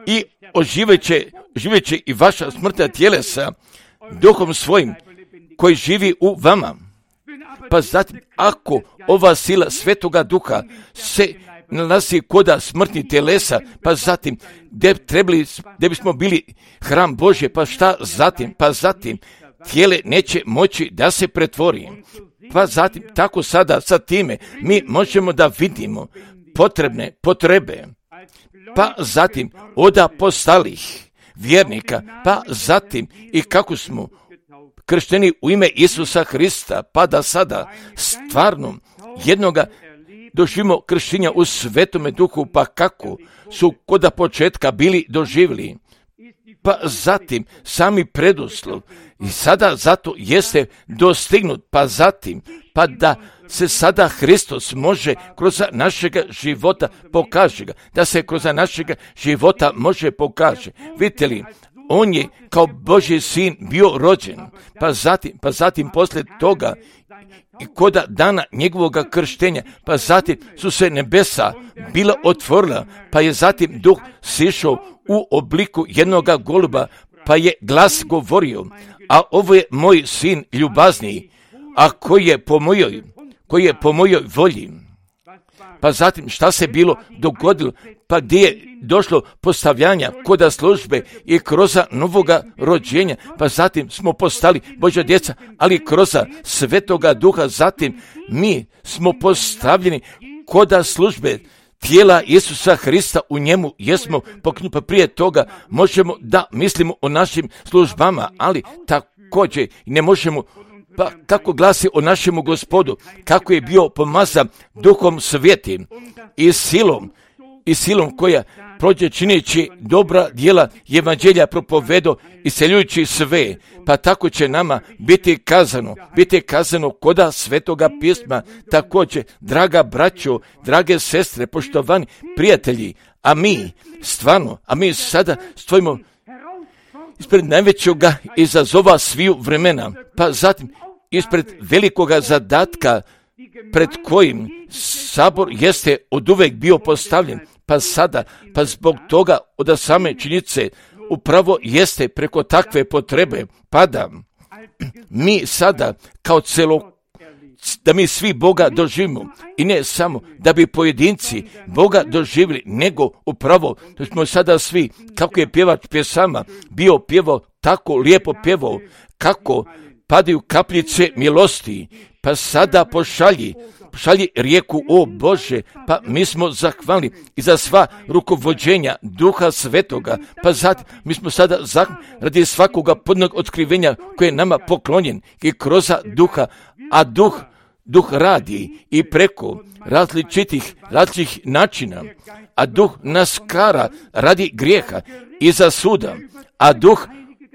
i oživeće, oživeće i vaša smrtna tjelesa duhom svojim koji živi u vama. Pa zatim, ako ova sila Svetoga Duha se nalazi koda smrtnih telesa, pa zatim, gdje trebali, gdje bismo bili hram Božje, pa šta zatim, pa zatim, tijele neće moći da se pretvori. Pa zatim, tako sada sa time, mi možemo da vidimo potrebne potrebe, pa zatim, od apostolih vjernika, pa zatim, i kako smo kršteni u ime Isusa Hrista, pa da sada stvarno jednoga doživimo krštenja u Svetome Duhu, pa kako su koda početka bili doživjeli, pa zatim sami preduslov i sada zato jeste dostignut, pa zatim, pa da se sada Hristos može kroz našega života pokaže ga, da se kroz našega života može pokaže. Vidite li, on je kao Božji sin bio rođen, pa zatim, pa zatim poslije toga i koda dana njegovog krštenja, pa zatim su se nebesa bila otvorila, pa je zatim duh sišao u obliku jednoga goluba, pa je glas govorio, a ovo je moj sin ljubazniji, a koji je po mojoj, koji je po mojoj volji. Pa zatim šta se bilo dogodilo, pa gdje je došlo postavljanja koda službe i kroz novoga rođenja, pa zatim smo postali Božja djeca, ali kroz Svetoga Duha zatim mi smo postavljeni koda službe tijela Isusa Hrista, u njemu jesmo poknjupa. Prije toga možemo da mislimo o našim službama, ali također ne možemo. Pa kako glasi o našemu Gospodu, kako je bio pomazan Duhom Svetim i silom, i silom koja prođe čineći dobra djela evanđelja propovedo i seljujući sve, pa tako će nama biti kazano, biti kazano koda Svetoga pisma. Također, draga braćo, drage sestre, poštovani prijatelji, a mi stvarno, a mi sada stojimo ispred najvećoga izazova sviju vremena, pa zatim ispred velikoga zadatka pred kojim sabor jeste oduvek bio postavljen, pa sada, pa zbog toga od same činjenice upravo jeste preko takve potrebe pada. Mi sada kao celo, da mi svi Boga doživimo i ne samo da bi pojedinci Boga doživjeli, nego upravo da smo sada svi, kako je pjevač pjesama bio pjevao, tako lijepo pjevao, kako padaju kapljice milosti, pa sada pošalji, pošalji rijeku, o Bože, pa mi smo zahvalni i za sva rukovođenja Duha Svetoga, pa zatim mi smo sada zahvalni radi svakoga podnog otkrivenja koje je nama poklonjen i kroz Duha, a Duh, Duh radi i preko različitih, različitih načina, a Duh nas kara radi grijeha i za suda, a Duh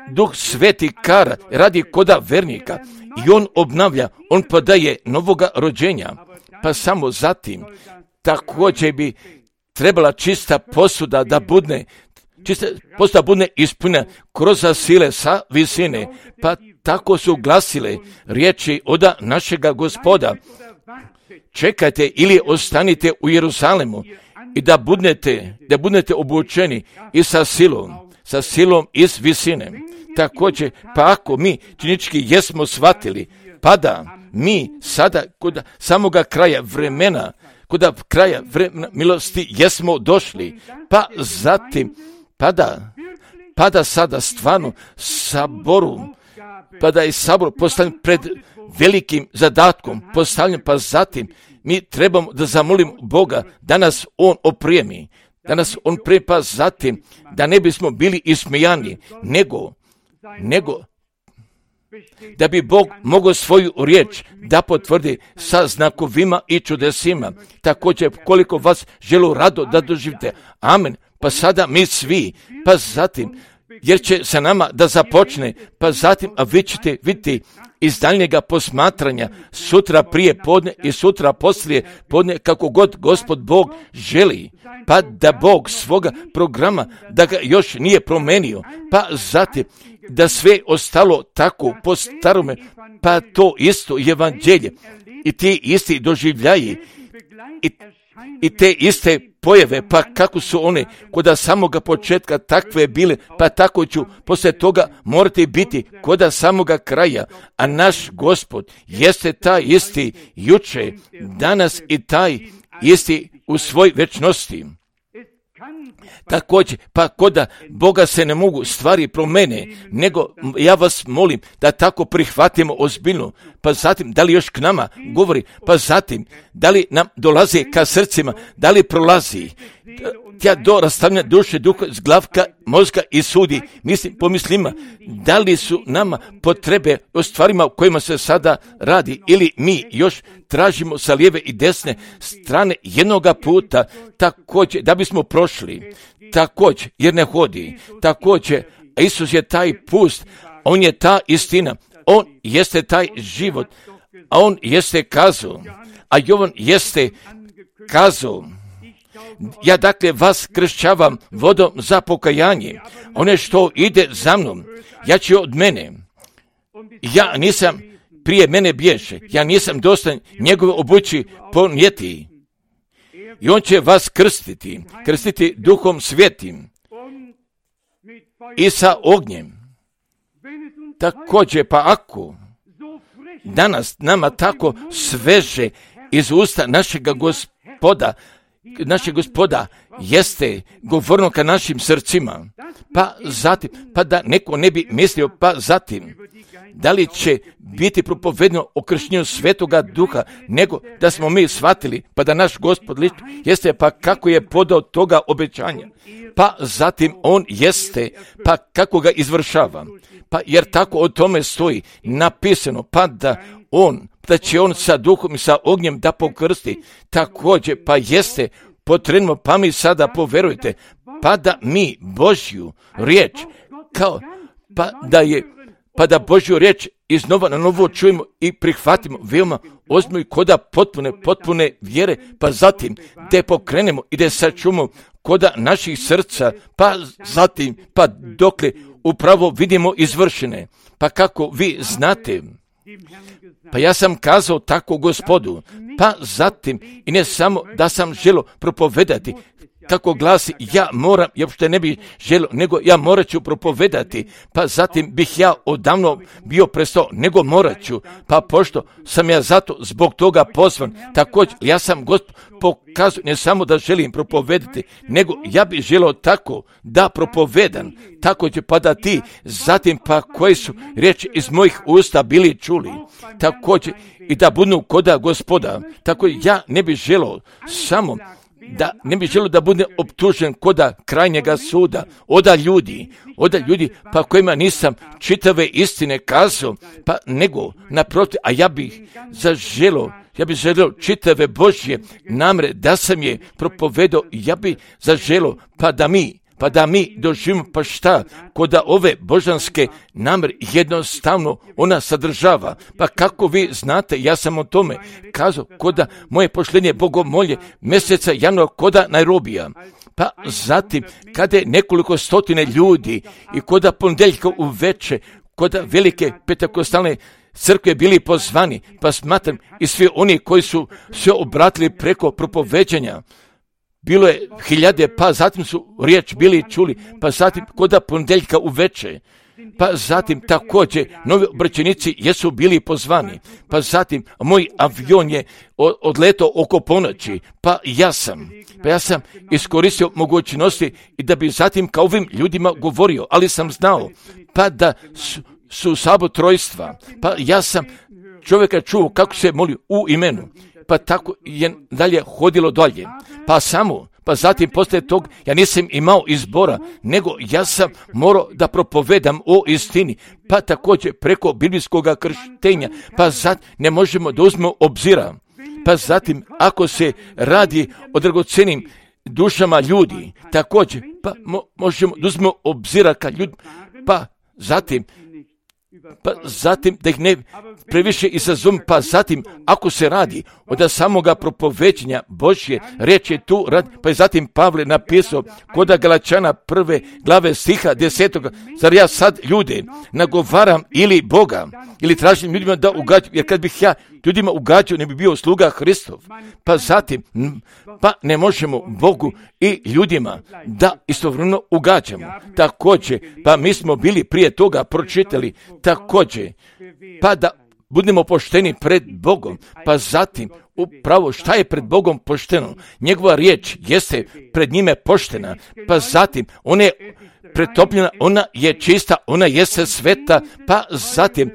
Duh Sveti kara radi koda vernika i on obnavlja, on podaje novoga rođenja. Pa samo zatim također bi trebala čista posuda da budne, čista posuda budne ispunjena kroz sile sa visine. Pa tako su glasile riječi oda našega Gospoda. Čekajte ili ostanite u Jeruzalemu i da budete, da budete obučeni i sa silom, sa silom iz visine. Također, pa ako mi činički jesmo shvatili, pa da mi sada kod samoga kraja vremena, kod kraja vremena milosti jesmo došli, pa zatim, pa da, pa da sada stvarno saboru, pa da je sabor postavljen pred velikim zadatkom, postavljen, pa zatim mi trebamo da zamolimo Boga da nas On oprijemi, da nas On prije, pa zatim da ne bismo bili ismijani, nego nego da bi Bog mogao svoju riječ da potvrdi sa znakovima i čudesima. Također, koliko vas želu rado da doživite. Amen. Pa sada mi svi, pa zatim, jer će sa nama da započne, pa zatim, a vi ćete vidjeti iz daljnjega posmatranja sutra prije podne i sutra poslije podne, kako god Gospod Bog želi, pa da Bog svoga programa, da ga još nije promenio, pa zatim, da sve ostalo tako po starome, pa to isto evanđelje i ti isti doživljaji i, i te iste pojave, pa kako su one koda samoga početka takve bile, pa tako ću poslije toga morati biti koda samoga kraja, a naš Gospod jeste taj isti juče, danas i taj isti u svoj večnosti. Također, pa koda Boga se ne mogu stvari promene, nego ja vas molim da tako prihvatimo ozbiljno, pa zatim da li još k nama govori, pa zatim da li nam dolazi ka srcima, da li prolazi tja do rastavljanja duše, duha, zglavka, mozga i sudi, mislim, pomislima, da li su nama potrebe o stvarima o kojima se sada radi, ili mi još tražimo sa lijeve i desne strane jednoga puta, također da bismo prošli, također jer ne hodi, također Isus je taj pust, on je ta istina, on jeste taj život, a on jeste kazao, a Jovan jeste kazao, ja dakle vas kršćavam vodom za pokajanje, one što ide za mnom, ja ću od mene, ja nisam, prije mene bježe, ja nisam dostan njegove obući ponijeti. I on će vas krstiti, krstiti Duhom Svetim i sa ognjem. Također, pa ako danas nama tako sveže iz usta našega Gospoda, našeg Gospoda jeste govorno ka našim srcima, pa zatim, pa da neko ne bi mislio, pa zatim, da li će biti propovedno o krštenju Svetoga Duha, nego da smo mi shvatili, pa da naš Gospod liči, jeste, pa kako je podao toga obećanja, pa zatim on jeste, pa kako ga izvršava, pa jer tako o tome stoji napisano, pa da on, da će on sa duhom i sa ognjem da pokrsti, također, pa jeste potrebno, pa mi sada poverujte, pa da mi Božju riječ, kao, pa da je, pa da Božju riječ iznova na novo čujemo i prihvatimo veoma ozbiljno i koda potpune, potpune vjere, pa zatim da pokrenemo i da sačuvamo koda naših srca, pa zatim, pa dokle upravo vidimo izvršene, pa kako vi znate, pa ja sam kazao tako Gospodu, pa zatim i ne samo da sam želio propovedati, kako glasi, ja moram, ja uopšte ne bih želio, nego ja morat ću propovedati, pa zatim bih ja odavno bio prestao, nego morat ću, pa pošto sam ja zato zbog toga pozvan, također ja sam Gospod pokazao ne samo da želim propovedati, nego ja bih želio tako da propovedam, također pa da ti zatim pa koje su riječi iz mojih usta bili čuli, također i da budu koda Gospoda, tako ja ne bih želio samo da ne bih želio da bude optužen koda krajnjega suda, oda ljudi, oda ljudi pa kojima nisam čitave istine kazao, pa nego naprotiv, a ja bih zaželio, ja bih želio čitave Božje namre da sam je propovedao, ja bih zaželio pa da mi pa da mi doživimo pa šta, koda ove božanske namre jednostavno ona sadržava. Pa kako vi znate, ja sam o tome kazao, koda moje pošlenje bogomolje mjeseca januara koda Nairobija. Pa zatim, kada je nekoliko stotine ljudi i koda ponedjeljka uveče, koda velike pentekostalne crkve bili pozvani, pa smatram i svi oni koji su se obratili preko propoveđanja, bilo je hiljade, pa zatim su riječ bili čuli, pa zatim koda ponedjeljka uveče, pa zatim također novi obraćenici jesu bili pozvani, pa zatim moj avion je odletao oko ponoći, pa ja sam, pa ja sam iskoristio mogućnosti i da bi zatim kao ovim ljudima govorio, ali sam znao, pa da su, su sabotrojstva, pa ja sam čovjeka čuo kako se moli u imenu, pa tako je dalje hodilo dalje, pa samo, pa zatim poslije tog ja nisam imao izbora, nego ja sam morao da propovedam o istini, pa također preko biblijskog krštenja, pa sad ne možemo da uzmemo obzira, pa zatim ako se radi o dragocenim dušama ljudi, također, pa mo, možemo da uzmemo obzira ka ljudi, pa zatim, pa zatim da ih ne previše izazum, pa zatim ako se radi od samoga propoveđenja Božje riječi tu rad, pa je zatim Pavle napisao koda Galačana prve glave stiha desetoga, zar ja sad ljude nagovaram ili Boga, ili tražim ljudima da ugađam, jer kad bih ja ljudima ugađao ne bi bio sluga Hristov, pa zatim pa ne možemo Bogu i ljudima da istovremeno ugađamo. Također, pa mi smo bili prije toga pročitali također, pa da budemo pošteni pred Bogom, pa zatim upravo šta je pred Bogom pošteno, njegova riječ jeste pred njime poštena, pa zatim ona je pretopljena, ona je čista, ona jeste sveta, pa zatim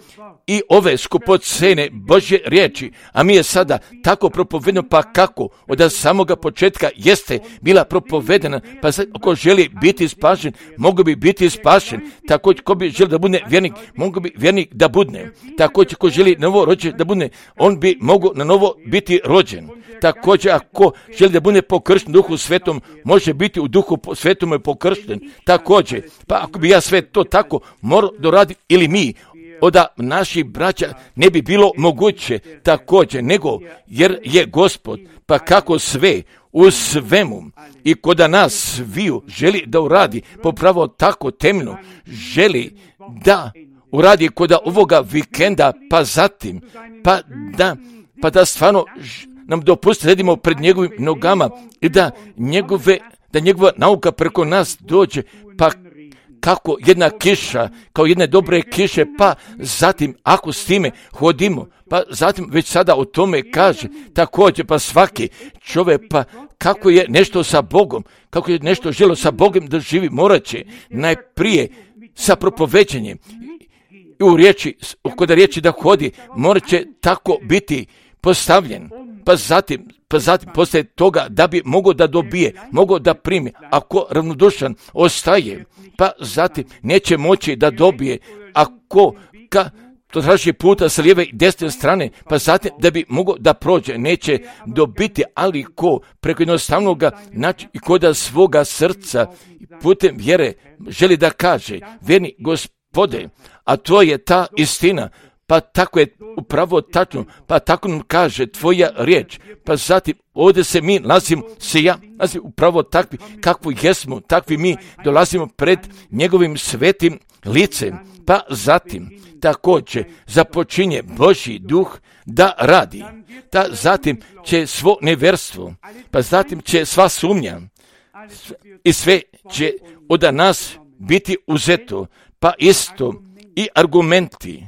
i ove skupocene Božje riječi, a mi je sada tako propovedeno, pa kako od samoga početka jeste bila propovedena, pa sad ako želi biti spašen, mogu bi biti spašen, također ko bi želi da bude vjernik, mogu bi vjernik da budne, također ko želi novo rođen da bude, on bi mogu na novo biti rođen, također ako želi da bude pokršten Duhu Svetom, može biti u Duhu Svetom je pokršten, također, pa ako bi ja sve to tako morao doraditi ili mi, oda naših braća ne bi bilo moguće također, nego jer je Gospod, pa kako sve u svemu i koda nas sviju želi da uradi popravo tako temno, želi da uradi koda ovoga vikenda, pa zatim, pa da, pa da stvarno nam dopusti redimo pred njegovim nogama i da njegove, da njegova nauka preko nas dođe, pa kako jedna kiša, kao jedne dobre kiše, pa zatim ako s time hodimo, pa zatim već sada o tome kaže, također pa svaki čovjek, pa kako je nešto sa Bogom, kako je nešto želo sa Bogom da živi, morat će najprije sa propoveđenjem i u riječi, kod riječi da hodi, morat će tako biti postavljen, pa zatim, pa zatim poslije toga da bi mogao da dobije, mogao da primi, ako ravnodušan ostaje, pa zatim neće moći da dobije, ako ka to traži puta sa lijeve i desne strane, pa zatim da bi mogao da prođe, neće dobiti, ali ko preko jednostavnoga načina i koda svoga srca putem vjere želi da kaže, vjerni Gospode, a to je ta istina, pa tako je upravo tačno, pa tako nam kaže tvoja riječ, pa zatim ovdje se mi nalazimo, se ja nalazim upravo takvi, kakvi jesmo, takvi mi dolazimo pred njegovim svetim licem, pa zatim također započinje Božji duh da radi, da zatim će svo nevjerstvo, pa zatim će sva sumnja, i sve će od nas biti uzeto, pa isto i argumenti,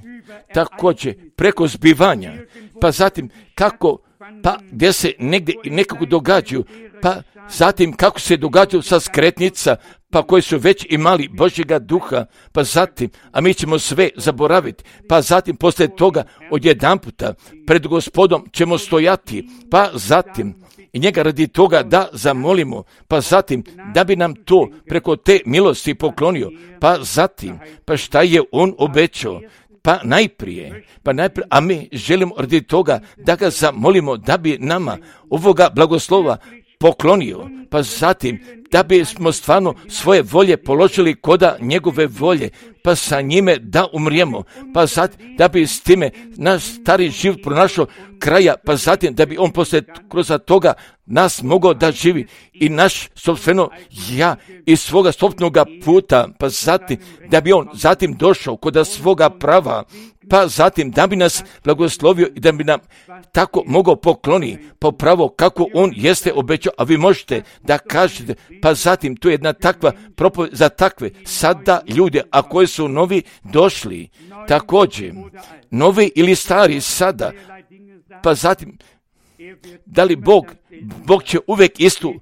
također preko zbivanja, pa zatim kako, pa gdje se negdje nekako događaju, pa zatim kako se događaju sa skretnica, pa koji su već imali Božjega duha, pa zatim, a mi ćemo sve zaboraviti, pa zatim poslije toga odjedanputa pred Gospodom ćemo stojati, pa zatim i njega radi toga da zamolimo, pa zatim da bi nam to preko te milosti poklonio, pa zatim, pa šta je on obećao, pa najprije, pa najprije, a mi želimo radi toga da ga zamolimo da bi nama ovoga blagoslova poklonio, pa zatim da bismo stvarno svoje volje položili koda njegove volje, pa sa njime da umrijemo, pa zatim da bi s time naš stari život pronašao kraja, pa zatim da bi on poslije kroz toga nas mogao da živi i naš sobstveno ja iz svoga sobstvenog puta, pa zatim da bi on zatim došao kod svoga prava, pa zatim da bi nas blagoslovio i da bi nam tako mogao pokloni po pravo kako on jeste obećao, a vi možete da kažete, pa zatim tu je jedna takva propoved za takve sada ljude, a koji su novi došli, također novi ili stari sada, pa zatim da li Bog, Bog će uvijek istu,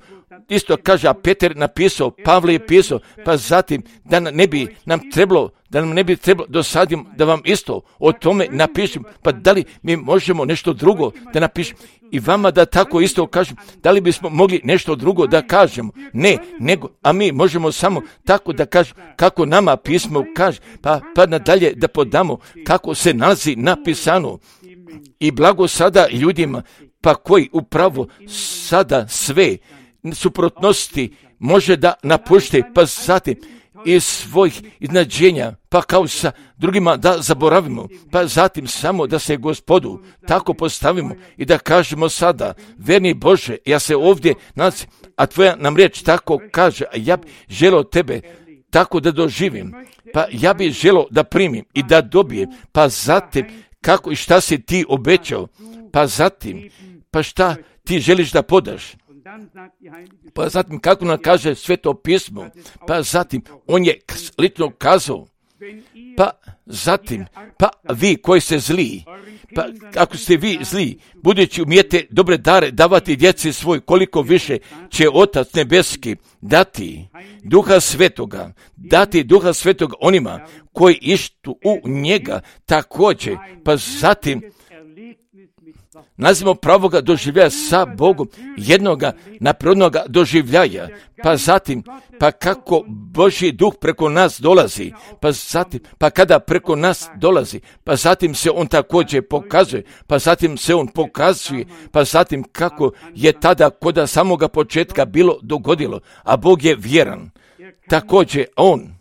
isto kaže, a Petar napisao, Pavle je pisao, pa zatim da ne bi nam trebalo, da nam ne bi trebalo dosadim da vam isto o tome napišem, pa da li mi možemo nešto drugo da napišem i vama da tako isto kažem, da li bismo mogli nešto drugo da kažemo, ne, nego, a mi možemo samo tako da kažemo kako nama pismo kaže, pa, pa nadalje da podamo kako se nalazi napisano i blago sada ljudima, pa koji upravo sada sve suprotnosti može da napušte, pa zatim iz svojih iznađenja, pa kao sa drugima da zaboravimo, pa zatim samo da se Gospodu tako postavimo i da kažemo sada, verni Bože, ja se ovdje nalazim, a tvoja nam riječ tako kaže, a ja bi želio tebe tako da doživim, pa ja bi želio da primim i da dobijem, pa zatim kako i šta si ti obećao, pa zatim, pa šta ti želiš da podaš, pa zatim kako nam kaže Sveto pismo, pa zatim on je lično kazao, pa zatim, pa vi koji ste zli, pa ako ste vi zli, budući umijete dobre dare davati djeci svoj, koliko više će Otac nebeski dati Duha Svetoga, dati Duha Svetoga onima koji ištu u njega također, pa zatim nazivamo pravoga doživljaja sa Bogom, jednoga naprednoga doživljaja, pa zatim, pa kako Božji duh preko nas dolazi, pa zatim, pa kada preko nas dolazi, pa zatim se on također pokazuje, pa zatim se on pokazuje, pa zatim kako je tada kod samoga početka bilo dogodilo, a Bog je vjeran. Također on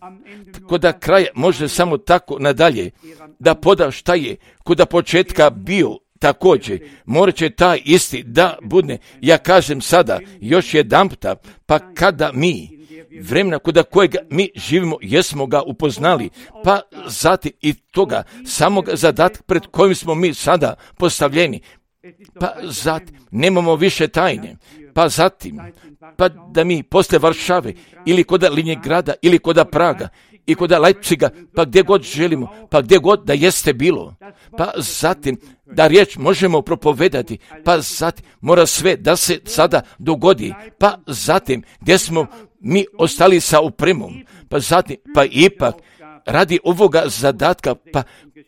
kod kraja može samo tako nadalje da poda šta je kod početka bio. Također, morat će taj isti da budne, ja kažem sada, još jedan puta, pa kada mi, vremena kod kojega mi živimo, jesmo ga upoznali, pa zatim i toga samog zadatka pred kojim smo mi sada postavljeni, pa zatim nemamo više tajne, pa zatim, pa da mi posle Varšave ili kod Linjegrada ili kod Praga, i kod Leipziga, pa gdje god želimo, pa gdje god da jeste bilo, pa zatim da riječ možemo propovedati, pa zatim mora sve da se sada dogodi, pa zatim gdje smo mi ostali sa opremom, pa zatim, pa ipak radi ovoga zadatka, pa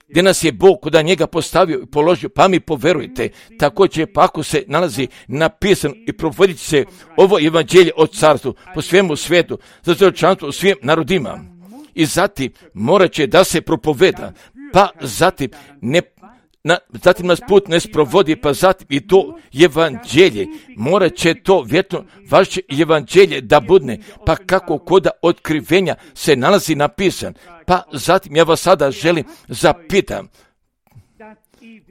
gdje nas je Bog kod njega postavio i položio, pa mi poverujte, također pa ako se nalazi napisano i provodit se ovo evanđelje o carstvu po svemu svijetu, za čovječanstvo u svim narodima. I zatim morat će da se propoveda, pa zatim, ne, na, zatim nas put ne sprovodi, pa zatim i to evanđelje, morat će to vjetno vaše evanđelje da budne, pa kako koda otkrivenja se nalazi napisan, pa zatim ja vas sada želim zapitam,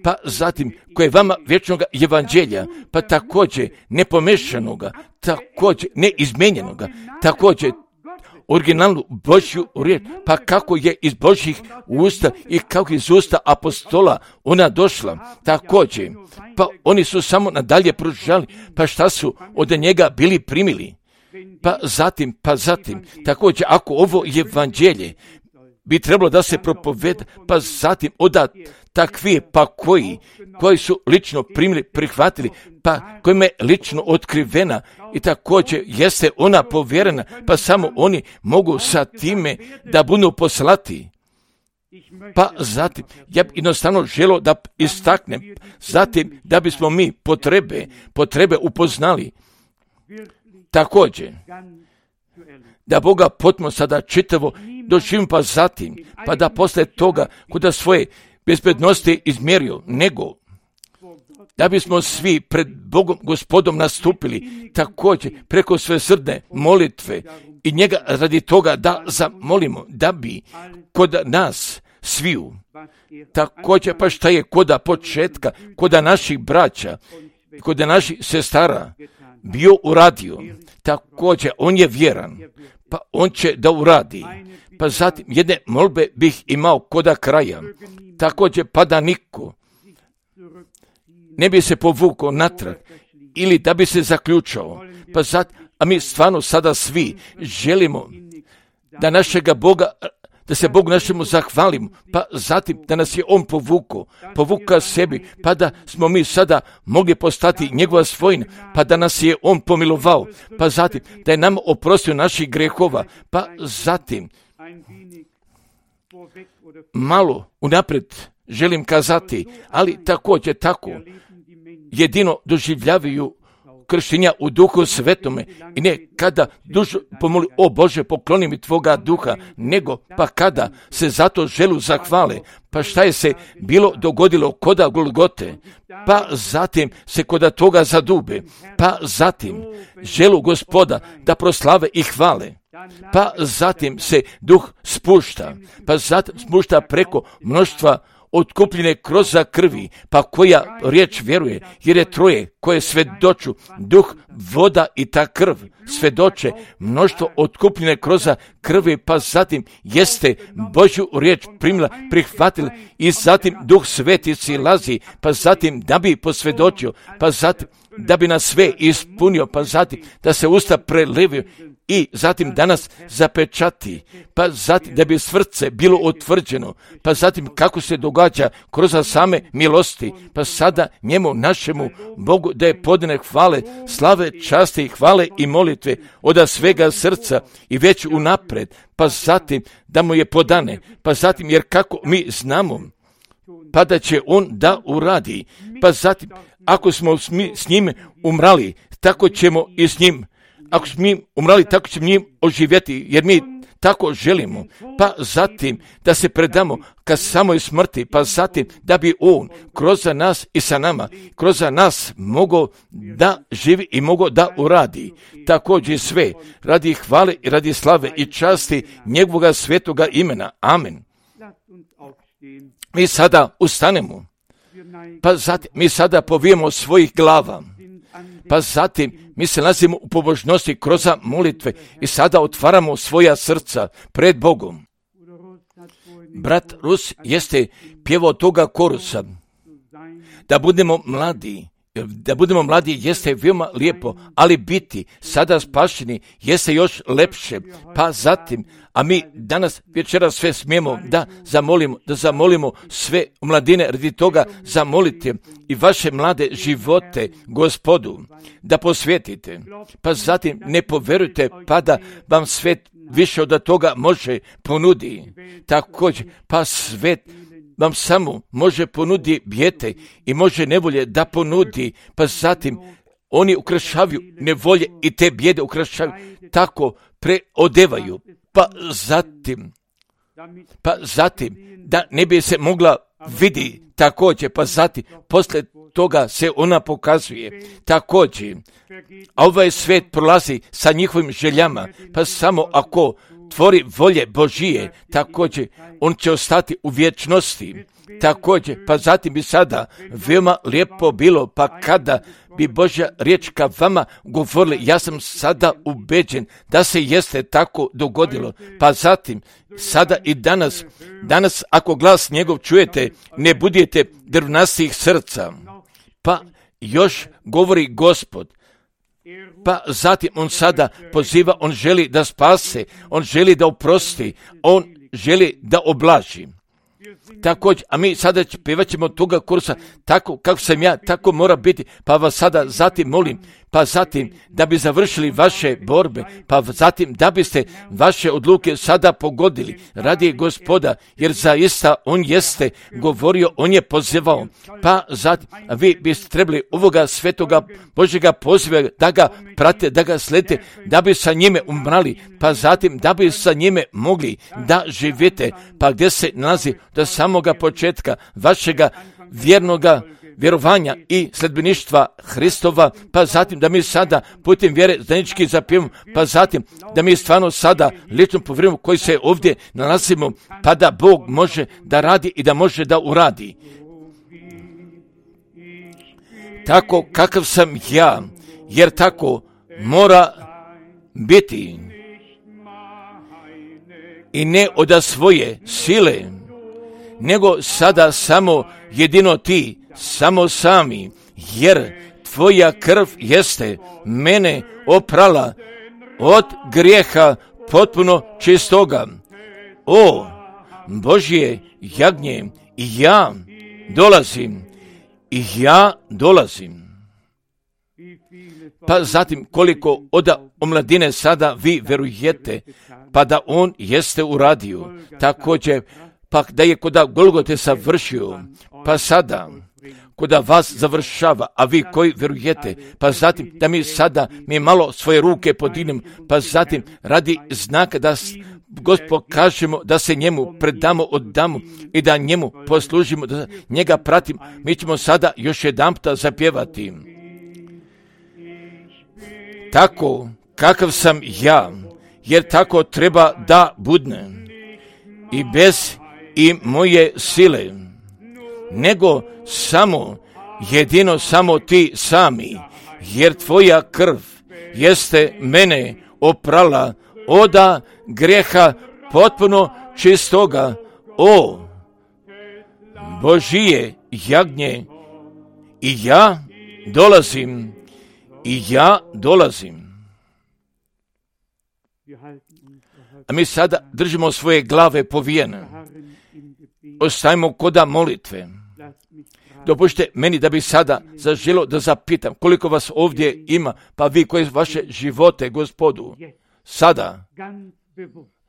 pa zatim koje vama vječnoga evanđelja, pa također nepomešanoga, također neizmenjenoga, također originalnu Božju riječ, pa kako je iz Božjih usta i kako iz usta apostola ona došla, također, pa oni su samo nadalje pružali, pa šta su od njega bili primili, Pa zatim, pa zatim, također ako ovo evanđelje bi trebalo da se propoveda, pa zatim onda takvi pa koji, koji su lično primili, prihvatili, pa kojima je lično otkrivena i također jeste ona povjerena, pa samo oni mogu sa time da budu poslati. Pa zatim, ja bi jednostavno želio da istaknem, zatim da bismo mi potrebe, potrebe upoznali. Također, da Boga potpuno sada čitavo doživim, pa zatim, pa da posle toga kuda svoje bezbednosti izmjerio, nego da bismo svi pred Bogom Gospodom nastupili, također preko sve srdne molitve i njega radi toga da zamolimo, da bi kod nas sviju, također pa šta je koda početka, koda naših braća, koda naših sestara bio uradio, također on je vjeran, pa on će da uradi. Pa zatim jedne molbe bih imao koda kraja, također pa da niko ne bi se povukao natrag ili da bi se zaključao. Pa zatim, a mi stvarno sada svi želimo da našega Boga, da se Bogu našemu zahvalimo, pa zatim da nas je On povukao, povukao sebi, pa da smo mi sada mogli postati njegova svojina, pa da nas je On pomilovao, pa zatim da je nam oprostio naših grehova, pa zatim malo unaprijed želim kazati, ali također tako jedino doživljavaju krštenja u Duhu Svetome i ne kada dužo pomoli, o Bože, pokloni mi Tvoga duha, nego pa kada se zato želu zahvale, pa šta je se bilo dogodilo koda Golgote, pa zatim se koda toga zadube, pa zatim želu Gospoda da proslave i hvale, pa zatim se duh spušta, pa zatim spušta preko mnoštva otkupljene kroz krvi, pa koja riječ vjeruje, jer je troje koje svedoču, duh, voda i ta krv, svedoče mnoštvo otkupljene kroz krvi, pa zatim jeste Božju riječ primila, prihvatila i zatim duh sveti silazi, pa zatim da bi posvjedočio, pa zatim da bi nas sve ispunio, pa zatim da se usta prelevio i zatim danas zapečati, pa zatim da bi srce bilo utvrđeno, pa zatim kako se događa kroz same milosti, pa sada njemu našemu Bogu da je podane hvale, slave, časti, hvale i molitve od svega srca i već unapred, pa zatim da mu je podane, pa zatim jer kako mi znamo, pa da će on da uradi, pa zatim ako smo s njim umrali, tako ćemo i s njim, ako smo mi umrali, tako ćemo njim oživjeti, jer mi tako želimo, pa zatim da se predamo ka samoj smrti, pa zatim da bi on kroz nas i sa nama, kroz nas mogao da živi i mogao da uradi. Također sve radi hvale i radi slave i časti njegovoga svetoga imena. Amen. Mi sada ustanemo, pa zatim mi sada povijemo svojih glava, pa zatim mi se nalazimo u pobožnosti kroz molitve i sada otvaramo svoja srca pred Bogom. Brat Rus jeste pjevao toga korusa, da budemo mladi, da budemo mladi jeste veoma lijepo, ali biti sada spašeni jeste još lepše, pa zatim, a mi danas večeras sve smijemo da zamolimo, da zamolimo sve mladine radi toga zamolite i vaše mlade živote Gospodu da posvetite, pa zatim ne poverujte pa da vam svet više od toga može ponudi, također pa svet vam samo može ponudi bijete i može nevolje da ponudi, pa zatim oni ukrašavaju nevolje i te bijede ukrašavaju, tako preodevaju, pa zatim, pa zatim da ne bi se mogla vidi također, pa zatim posle toga se ona pokazuje također, a ovaj svet prolazi sa njihovim željama, pa samo ako tvori volje Božije, također on će ostati u vječnosti, također, pa zatim bi sada veoma lijepo bilo, pa kada bi Božja riječ ka vama govorili, ja sam sada ubeđen da se jeste tako dogodilo, pa zatim, sada i danas, danas ako glas njegov čujete, ne budete drvnastih srca, pa još govori Gospod, Pa zatim on sada poziva, on želi da spase, on želi da oprosti, on želi da oblaži. Također, a mi sada pjevat ćemo toga kursa, tako kako sam ja, tako mora biti, pa vas sada zatim molim, pa zatim da bi završili vaše borbe, pa zatim da biste vaše odluke sada pogodili radi Gospoda, jer zaista on jeste govorio, on je pozivao, pa zatim a vi biste trebali ovoga svetoga Božjega poziva da ga prate, da ga sledite, da bi sa njime umrali, pa zatim da bi sa njime mogli da živite, pa gdje se nalazi do samoga početka vašega vjernoga vjerovanja i sledbeništva Hristova, pa zatim da mi sada putem vjere zajednički zapijemo, pa zatim da mi stvarno sada lično povjerujemo koji se ovdje nalazimo, pa da Bog može da radi i da može da uradi. Tako kakav sam ja, jer tako mora biti i ne od svoje sile, nego sada samo jedino ti, samo sami, jer tvoja krv jeste mene oprala od grijeha potpuno čistoga. O Božje jagnje, ja dolazim, i ja dolazim. Pa zatim koliko od omladine sada vi verujete, pa da on jeste uradio, također pa da je koda Golgote savršio, pa sada koda vas završava, a vi koji verujete, pa zatim da mi sada mi malo svoje ruke podinem, pa zatim radi znaka da Gospod kažemo da se njemu predamo, oddamo i da njemu poslužimo, da njega pratim. Mi ćemo sada još jedan puta zapjevati. Tako kakav sam ja, jer tako treba da budne i bez i moje sile, nego samo, jedino samo ti sami, jer tvoja krv jeste mene oprala oda grijeha potpuno čistoga. O Božije jagnje, i ja dolazim, i ja dolazim. A mi sada držimo svoje glave povijene. Ostajemo koda molitve. Dopušte meni da bi sada zaželio da zapitam koliko vas ovdje ima, pa vi koji vaše živote Gospodu sada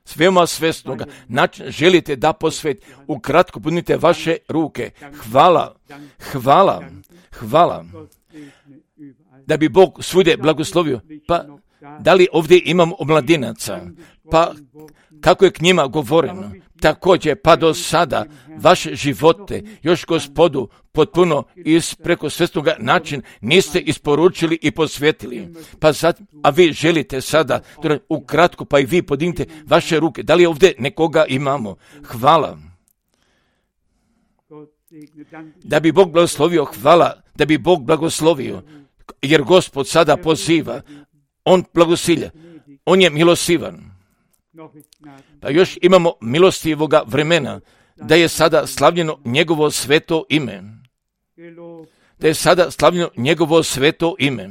svema svjesnoga način želite da posvet, ukratko punite vaše ruke. Hvala, hvala, hvala. Da bi Bog svugdje blagoslovio. Pa da li ovdje imamo omladinaca? Pa kako je k njima govoreno? Također, pa do sada vaše živote još Gospodu potpuno iz preko svjesnoga način niste isporučili i posvetili. Pa sad, a vi želite sada, ukratko, pa i vi podignite vaše ruke. Da li ovdje nekoga imamo? Hvala. Da bi Bog blagoslovio, hvala, da bi Bog blagoslovio, jer Gospod sada poziva, on blagosilja, on je milosivan. Pa još imamo milostivoga vremena, da je sada slavljeno njegovo sveto ime. Da je sada slavljeno njegovo sveto ime.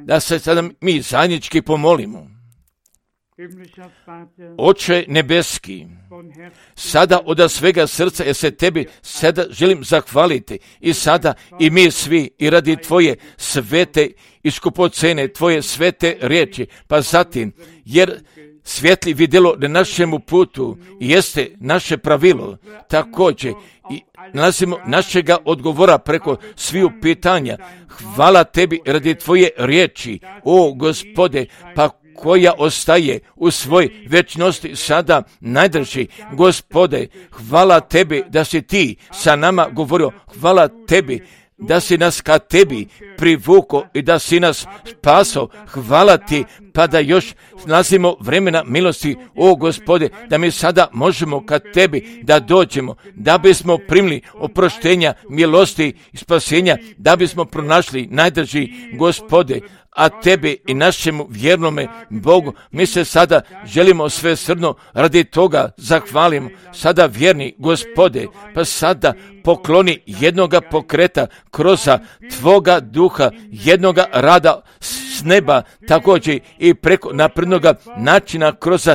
Da se sada mi zajednički pomolimo. Oče nebeski, sada od svega srca jer se tebi sada želim zahvaliti i sada i mi svi i radi tvoje svete i skupocene, tvoje svete riječi, pa zatim jer svjetli vidjelo na našemu putu jeste naše pravilo, također i nalazimo našega odgovora preko sviju pitanja. Hvala tebi radi tvoje riječi, o Gospode, pa koja ostaje u svoj večnosti sada najdrži. Gospode, hvala tebi da si ti sa nama govorio, hvala tebi da si nas ka tebi privuko i da si nas spasao. Hvala ti, pa da još nalazimo vremena milosti, o Gospode, da mi sada možemo ka tebi da dođemo, da bismo primili oproštenja, milosti i spasenja, da bismo pronašli najdrži Gospode. a tebi i našemu vjernome Bogu mi se sada želimo svesrdno radi toga zahvalimo. Sada vjerni Gospode, pa sada pokloni jednoga pokreta kroz Tvoga duha, jednoga rada s neba, također i preko naprednoga načina kroz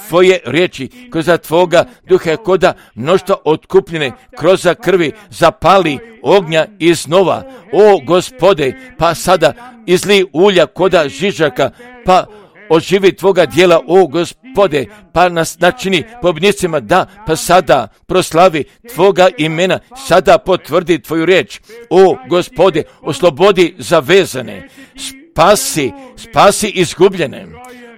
Tvoje riječi, kroz Tvoga duha, koda mnoštva otkupljene kroz krvi zapali ognja iznova. O Gospode, pa sada izli ulja koda žižaka, pa oživi Tvoga djela, o Gospode, pa nas načini pobjednicima, da, pa sada proslavi Tvoga imena, sada potvrdi Tvoju riječ, o Gospode, oslobodi zavezane, spasi, spasi izgubljene,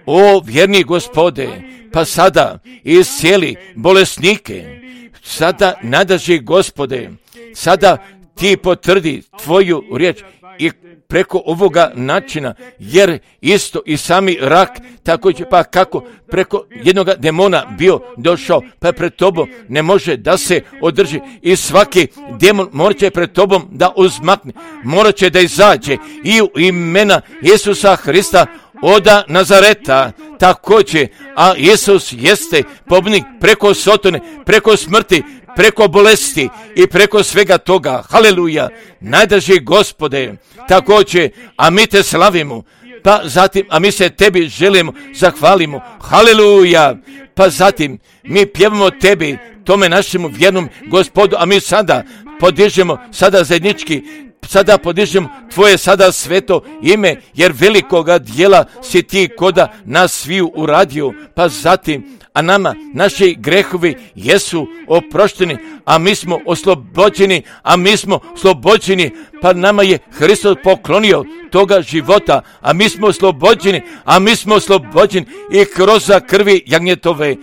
o vjerni Gospode, pa sada iscijeli bolesnike, sada nadaži Gospode, sada Ti potvrdi Tvoju riječ i preko ovoga načina, jer isto i sami rak, također pa kako preko jednog demona bio došao, pa pred Tobom ne može da se održi i svaki demon morat će pred Tobom da uzmakne, morat će da izađe i u imena Isusa Hrista oda Nazareta, također, a Isus jeste pobjednik preko sotone, preko smrti, preko bolesti i preko svega toga. Haleluja, najdrži Gospode, također, a mi Te slavimo, pa zatim, a mi se Tebi želimo, zahvalimo. Haleluja, pa zatim mi pjevamo Tebi, tome našemu vjernom Gospodu, a mi sada podižemo, sada zajednički, sada podižemo Tvoje sada sveto ime, jer velikoga dijela si Ti koda nas sviju uradio, pa zatim, a nama naši grehovi jesu oprošteni, a mi smo oslobođeni, a mi smo oslobođeni, pa nama je Hristos poklonio toga života, a mi smo oslobođeni, a mi smo oslobođeni i kroz krvi jagnjetove.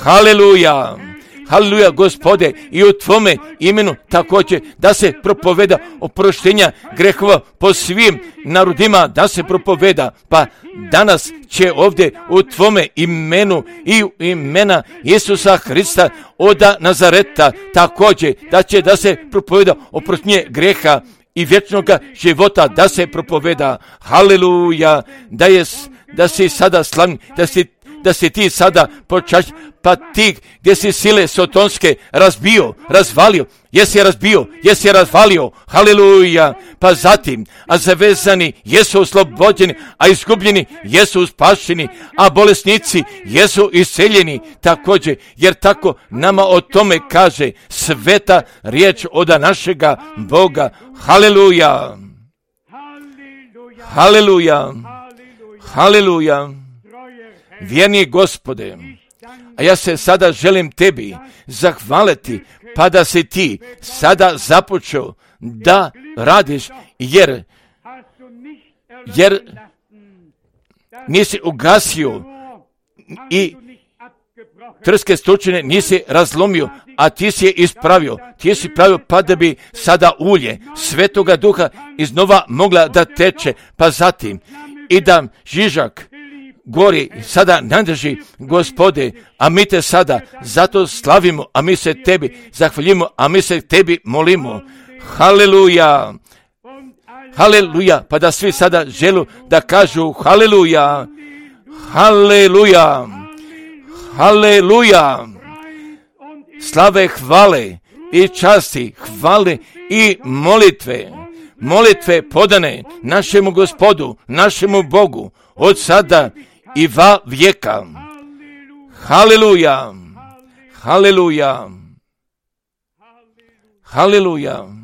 Haleluja! Haleluja, Gospode, i u Tvome imenu također da se propoveda oproštenja grehova po svim narodima, da se propoveda, pa danas će ovdje u Tvome imenu i u imena Isusa Hrista oda Nazareta također da će da se propoveda oproštenje greha i vječnoga života, da se propoveda. Haleluja, da je da si sada slavni, da si da si Ti sada počašćen, pa Ti gdje si sile sotonske razbio, razvalio, jesi razbio, jesi razvalio, haleluja, pa zatim, a zavezani jesu oslobođeni, a izgubljeni jesu spašeni, a bolesnici jesu isceljeni također, jer tako nama o tome kaže sveta riječ oda našega Boga. Haleluja, haleluja, haleluja. Vjerni Gospode, a ja se sada želim Tebi zahvaliti, pa da si Ti sada započeo da radiš, jer, jer nisi ugasio i trske stručine nisi razlomio, a Ti si je ispravio. Ti si pravio pa da bi sada ulje Svetoga Duha iznova mogla da teče, pa zatim i da žižak gori sada nadrži, Gospode, a mi Te sada zato slavimo, a mi se Tebi zahvaljujemo, a mi se Tebi molimo. Haleluja, haleluja, pa da svi sada želu da kažu haleluja, haleluja, haleluja, slave, hvale i časti, hvale i molitve, molitve podane našemu Gospodu, našemu Bogu, od sada i va vijeka. Haleluja, haleluja, haleluja.